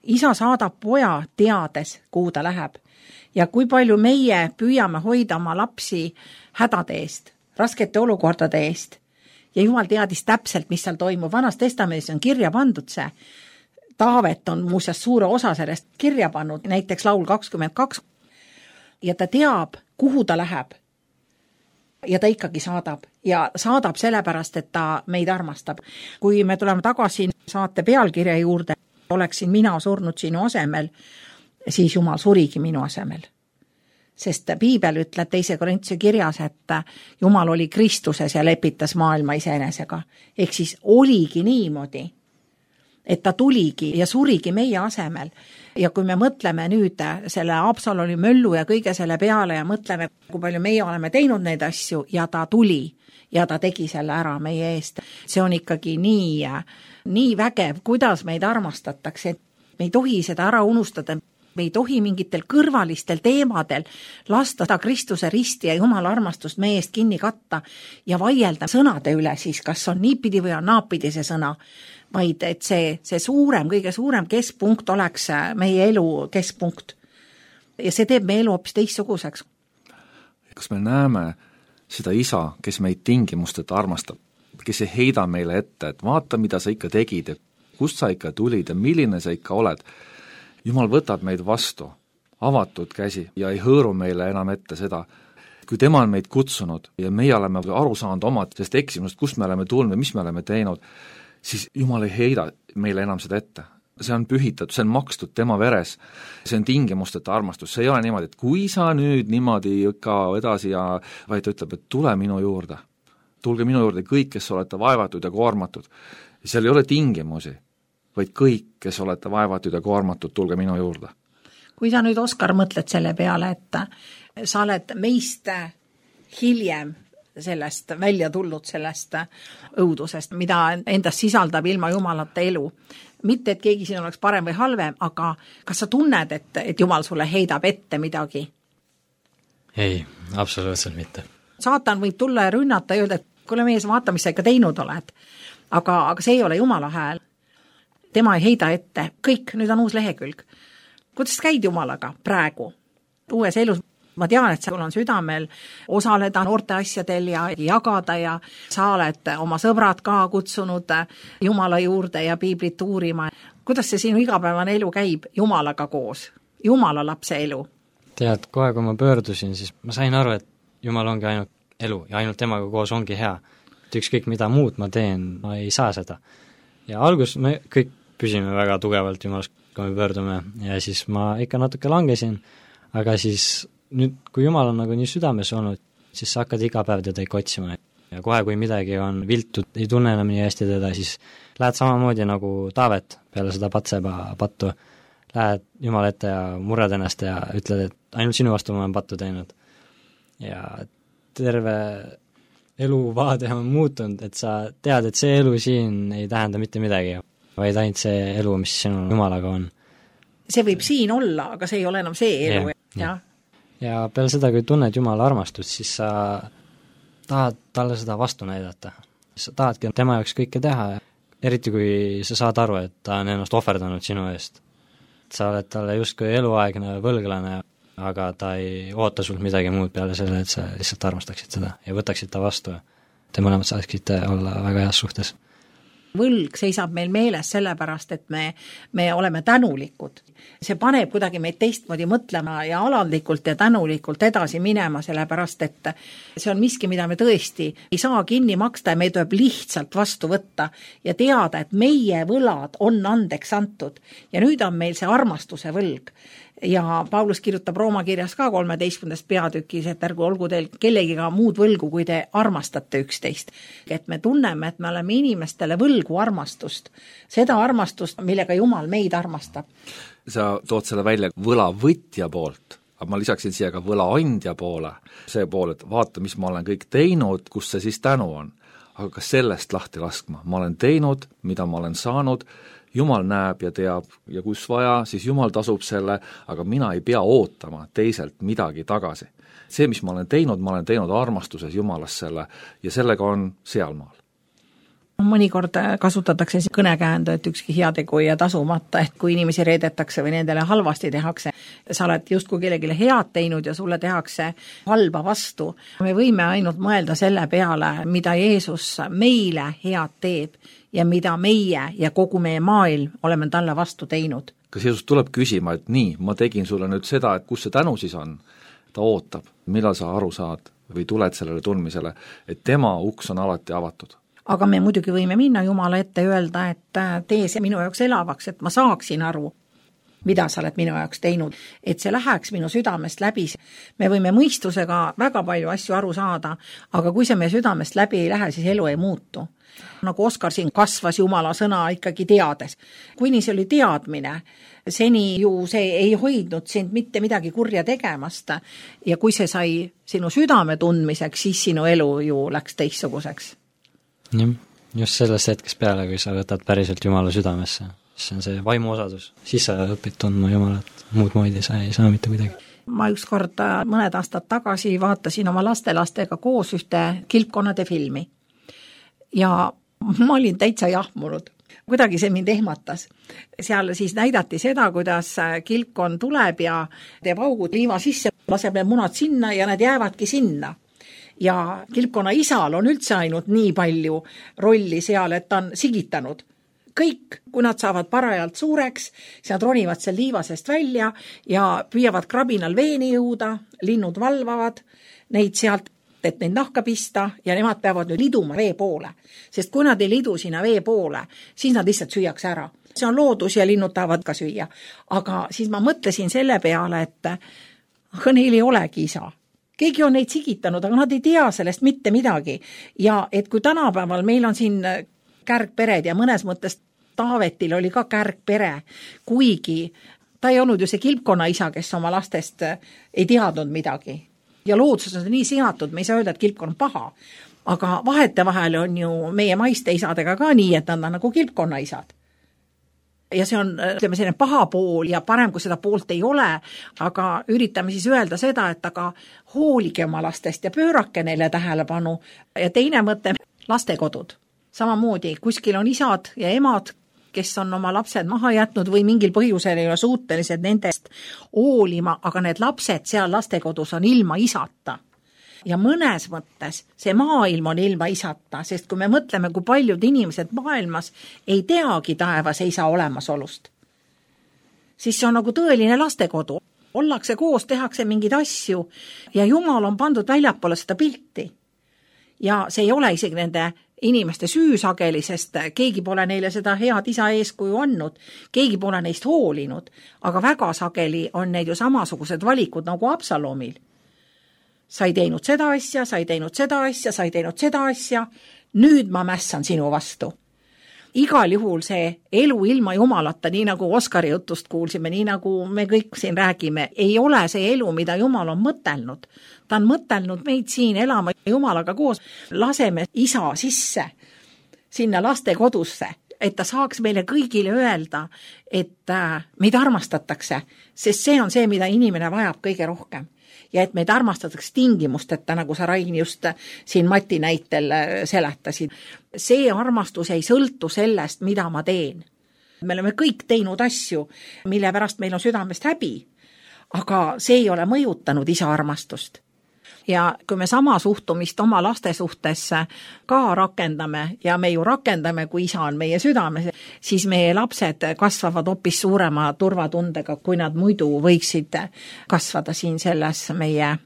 Speaker 2: isa saadab poja teades, kuhu ta läheb. Ja kui palju meie püüame hoida oma lapsi hädade eest, raskete olukordade eest ja Jumal teadis täpselt, mis seal toimub. Vanas testamendis on kirja pandud see. Taavet on muuseas suure osa sellest kirja pannud, näiteks laul kakskümmend kaks. Ja ta teab, kuhu ta läheb. Ja ta ikkagi saadab. Ja saadab sellepärast, et ta meid armastab. Kui me tuleme tagasi saate pealkirja juurde, oleksin mina surnud sinu asemel, siis Jumal surigi minu asemel. Sest piibel ütleb teise Korintuse kirjas, et Jumal oli Kristuses ja lepitas maailma iseenesega. Ehk siis oligi niimoodi, et ta tuligi ja surigi meie asemel. Ja kui me mõtleme nüüd selle Absaloni möllu ja kõige selle peale ja mõtleme, kui palju meie oleme teinud neid asju ja ta tuli ja ta tegi selle ära meie eest. See on ikkagi nii, nii vägev, kuidas meid armastatakse. Me ei tohi seda ära unustada. Me ei tohi mingitel kõrvalistel teemadel lasta ta Kristuse risti ja Jumala armastust meie eest kinni katta ja vaielda sõnade üle siis, kas on niipidi või on naapidi see sõna, vaid et see, see suurem, kõige suurem keskpunkt oleks meie elu keskpunkt. Ja see teeb meie elu hoopis teistsuguseks.
Speaker 1: Kas me näeme seda isa, kes meid tingimusteta armastab, kes ei heida meile ette, et vaata, mida sa ikka tegid, kust sa ikka tulid ja milline sa ikka oled. Jumal võtab meid vastu, avatud käsi ja ei hõõru meile enam ette seda, kui tema on meid kutsunud ja meie oleme aru saanud omad sest eksimust, kust me oleme tulnud ja mis me oleme teinud, siis Jumal ei heida meile enam seda ette. See on pühitatud, see on makstud tema veres, see on tingimusteta armastus, see ei ole niimoodi, et kui sa nüüd niimoodi ikka edasi ja vaid ta ütleb, et tule minu juurde, tulge minu juurde kõik, kes olete vaevatud ja koormatud. Seal ei ole tingimusi, vaid kõik, kes olete vaevatud ja koormatud, tulge minu juurde.
Speaker 2: Kui sa nüüd, Oskar, mõtled selle peale, et sa oled meist hiljem sellest välja tulnud, sellest õudusest, mida endast sisaldab ilma Jumalata elu. Mitte, et keegi siin oleks parem või halvem, aga kas sa tunned, et, et Jumal sulle heidab ette midagi?
Speaker 3: Ei, absoluutselt mitte.
Speaker 2: Saatan võib tulla ja rünnata ja öelda, et kuule mees, vaata, mis sa ikka teinud oled. Aga, aga see ei ole Jumala hääl. Tema ei heida ette. Kõik, nüüd on uus lehekülg. Kuidas käid Jumalaga praegu? Uues elus. Ma tean, et sul on südamel osaleda noorte asjadel ja jagada ja sa oled oma sõbrad ka kutsunud Jumala juurde ja piiblit uurima. Kuidas see sinu igapäevane elu käib Jumalaga koos? Jumala lapse elu?
Speaker 3: Tead, kohe kui ma pöördusin, siis ma sain aru, et Jumal ongi ainult elu ja ainult temaga koos ongi hea. Et ükskõik mida muud ma teen, ma ei saa seda. Ja algus me kõik püsime väga tugevalt Jumalast, kui me pöördume ja siis ma ikka natuke langesin, aga siis nüüd, kui Jumal on nagu nii südames olnud, siis sa hakkad iga päev teda ikka otsima ja kohe, kui midagi on viltud, ei tunne enam nii hästi teda, siis lähed samamoodi nagu Taavet peale seda Patseba pattu, lähed Jumala ette ja murred ennast ja ütled, et ainult sinu vastu ma olen pattu teinud. Ja terve eluvaade on muutunud, et sa tead, et see elu siin ei tähenda mitte midagi, vaid ainult see elu, mis sinu Jumalaga on.
Speaker 2: See võib siin olla, aga see ei ole enam see elu. Ja, ja.
Speaker 3: ja peale seda, kui tunned Jumala armastust, siis sa tahad talle seda vastu näidata. Sa tahadki tema jaoks kõike teha ja eriti kui sa saad aru, et ta on ennast ohverdanud sinu eest. Sa oled talle justkui eluaegne võlglane, aga ta ei oota sult midagi muud peale selle, et sa lihtsalt armastaksid seda ja võtaksid ta vastu. Te mõlemad saaksid olla väga heas suhtes.
Speaker 2: Võlg seisab meil meeles sellepärast, et me, me oleme tänulikud. See paneb kuidagi meid teistmoodi mõtlema ja alandlikult ja tänulikult edasi minema, sellepärast, et see on miski, mida me tõesti ei saa kinni maksta ja me tuleb lihtsalt vastu võtta ja teada, et meie võlad on andeks antud ja nüüd on meil see armastuse võlg. Ja Paulus kirjutab Rooma kirjas ka kolmeteistkümnendast peatükis, et ärgu olgu teil kellegiga muud võlgu, kui te armastate üksteist. Et me tunneme, et me oleme inimestele võlgu armastust. Seda armastust, millega Jumal meid armastab.
Speaker 1: Sa tood selle välja võlavõtja poolt, aga ma lisaksin siia ka võlaandja poole. See pool, et vaata, mis ma olen kõik teinud, kus see siis tänu on. Aga ka sellest lahti laskma. Ma olen teinud, mida ma olen saanud, Jumal näeb ja teab ja kus vaja, siis Jumal tasub selle, aga mina ei pea ootama teiselt midagi tagasi. See, mis ma olen teinud, ma olen teinud armastuses Jumalas selle ja sellega on sealmaal.
Speaker 2: Mõnikord kasutatakse kõnekäändu, et ükski heategu ja tasumata, et kui inimesi reedetakse või nendele halvasti tehakse, sa oled justkui kellegile head teinud ja sulle tehakse halba vastu. Me võime ainult mõelda selle peale, mida Jeesus meile head teeb ja mida meie ja kogu meie maailm oleme talle vastu teinud.
Speaker 1: Kas Jeesus tuleb küsima, et nii, ma tegin sulle nüüd seda, et kus see tänu siis on? Ta ootab, millal sa aru saad või tuled sellele tundmisele, et tema uks on alati avatud.
Speaker 2: Aga me muidugi võime minna Jumala ette ja öelda, et tee see minu jaoks elavaks, et ma saaksin aru, mida sa oled minu jaoks teinud, et see läheks minu südamest läbi. Me võime mõistusega väga palju asju aru saada, aga kui see meie südamest läbi ei lähe, siis elu ei muutu. Nagu Oskar siin kasvas Jumala sõna ikkagi teades. Kuni see oli teadmine, seni ju see ei hoidnud sind mitte midagi kurja tegemast ja kui see sai sinu südame tundmiseks, siis sinu elu ju läks teistsuguseks.
Speaker 3: Jah, just sellest hetkest peale, kui sa võtad päriselt Jumala südamesse, siis on see vaimu osadus. Siis sa õpid tundma Jumalat, muud moodi sa ei saa mitte kuidagi.
Speaker 2: Ma ükskord mõned aastad tagasi vaatasin oma lastelastega koos ühte kilpkonnade filmi ja ma olin täitsa jahmunud. Kuidagi see mind ehmatas. Seal siis näidati seda, kuidas kilpkon tuleb ja teeb augud liiva sisse, laseb need munad sinna ja need jäävadki sinna. Ja kilpkonna isal on üldse ainult nii palju rolli seal, et ta on sigitanud. Kõik, kui nad saavad parajalt suureks, siis nad ronivad seal liivasest välja ja püüavad krabinal veeni jõuda, linnud valvavad neid sealt, et neid nahka pista ja nemad peavad nüüd liduma vee poole. Sest kui nad ei lidu sinna vee poole, siis nad lihtsalt süüaks ära. See on loodus ja linnud tahavad ka süüa. Aga siis ma mõtlesin selle peale, et aga neil ei olegi isa. Keegi on neid sigitanud, aga nad ei tea sellest mitte midagi. Ja et kui tänapäeval meil on siin kärgpered ja mõnes mõttes Taavetil oli ka kärgpere, kuigi ta ei olnud ju see kilpkonna isa, kes oma lastest ei teadnud midagi. Ja loodsus on nii seatud, me ei saa öelda, et kilpkonna on paha. Aga vahete vahel on ju meie maiste isadega ka nii, et nad on nagu kilpkonna isad. Ja see on, ütleme, selline paha pool ja parem, kui seda poolt ei ole, aga üritame siis öelda seda, et aga hoolige oma lastest ja pöörake neile tähelepanu. Ja teine mõte, lastekodud. Samamoodi, kuskil on isad ja emad, kes on oma lapsed maha jätnud või mingil põhjusel ei ole suutelised nendest hoolima, aga need lapsed seal lastekodus on ilma isata. Ja mõnes mõttes see maailm on ilma isata, sest kui me mõtleme, kui paljud inimesed maailmas ei teagi taevas isa olemasolust, siis see on nagu tõeline lastekodu. Ollakse koos, tehakse mingeid asju ja Jumal on pandud väljapoole seda pilti. Ja see ei ole isegi nende inimeste süü sageli, sest keegi pole neile seda head isa eeskuju andnud, keegi pole neist hoolinud, aga väga sageli on neid ju samasugused valikud nagu Absalomil. Sa ei teinud seda asja, sa ei teinud seda asja, sa ei teinud seda asja, nüüd ma mässan sinu vastu. Igal juhul see elu ilma Jumalata, nii nagu Oskari jutust kuulsime, nii nagu me kõik siin räägime, ei ole see elu, mida Jumal on mõtelnud. Ta on mõtelnud meid siin elama Jumalaga koos. Laseme isa sisse sinna laste kodusse, et ta saaks meile kõigile öelda, et meid armastatakse, sest see on see, mida inimene vajab kõige rohkem. Ja et meid armastatakse tingimusteta, nagu sa Rain just siin Mati näitel seletasid. See armastus ei sõltu sellest, mida ma teen. Me oleme kõik teinud asju, mille pärast meil on südamest häbi, aga see ei ole mõjutanud isa armastust. Ja kui me sama suhtumist oma laste suhtes ka rakendame ja me ju rakendame, kui isa on meie südames, siis meie lapsed kasvavad hoopis suurema turvatundega, kui nad muidu võiksid kasvada siin selles meie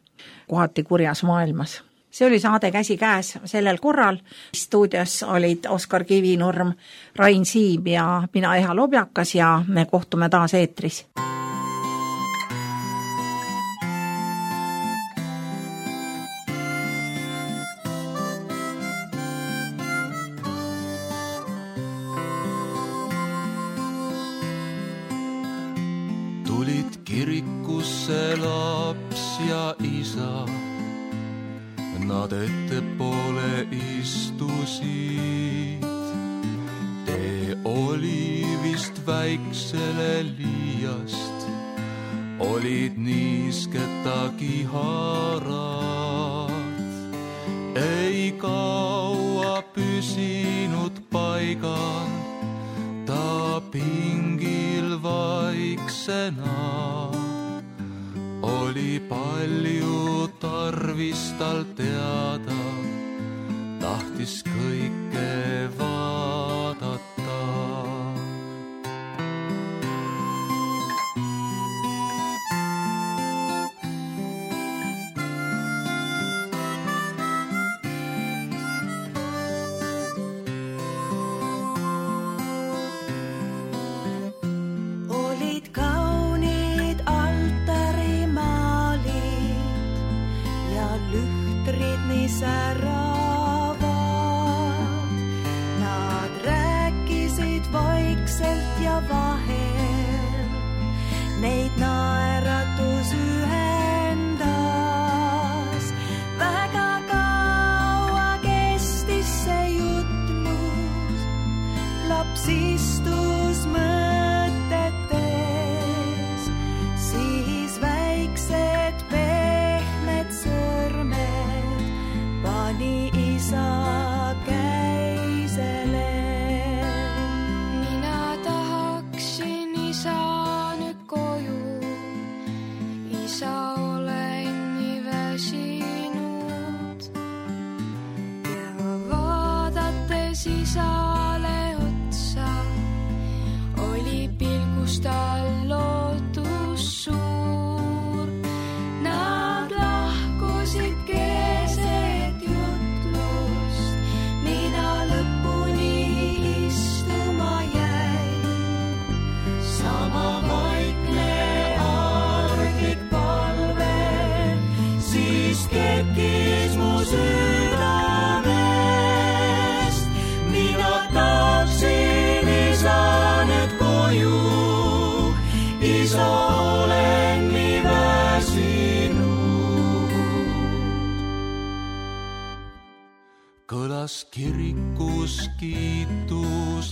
Speaker 2: kohati kurjas maailmas. See oli saade Käsi käes sellel korral. Stuudios olid Oskar Kivinurm, Rain Siim ja mina Eha Lobjakas ja me kohtume taas eetris.
Speaker 4: Tulid kirikusse laps ja isa, nad ettepoole istusid. Tee oli vist väiksele liiast, olid niisketagi harad. Ei kaua püsinud paigal, ta pingil vaiksena. Oli palju tarvis tal teada, tahtis kõike vaadata. Säravad. Nad rääkisid vaikselt ja vahel, neid naeratus ühendas. Väga kaua kestis see jutlus, laps istus mõtetes, siis väiksed pehmed sõrmed pani isa käisele.
Speaker 5: Mina tahaksin isa nüüd koju, isa olen nii väsinud. Ja vaadates isale otsa, oli pilgus tal lootus suur. Nad lahkusid keset jutlust, mina lõpuni istuma jäin. Sama vaikne arglik palve, siis kerkis mu südamest. Mina taaksin isa nüüd koju, isa olen nii väsinud. Kõlas kirikus kiituslaul,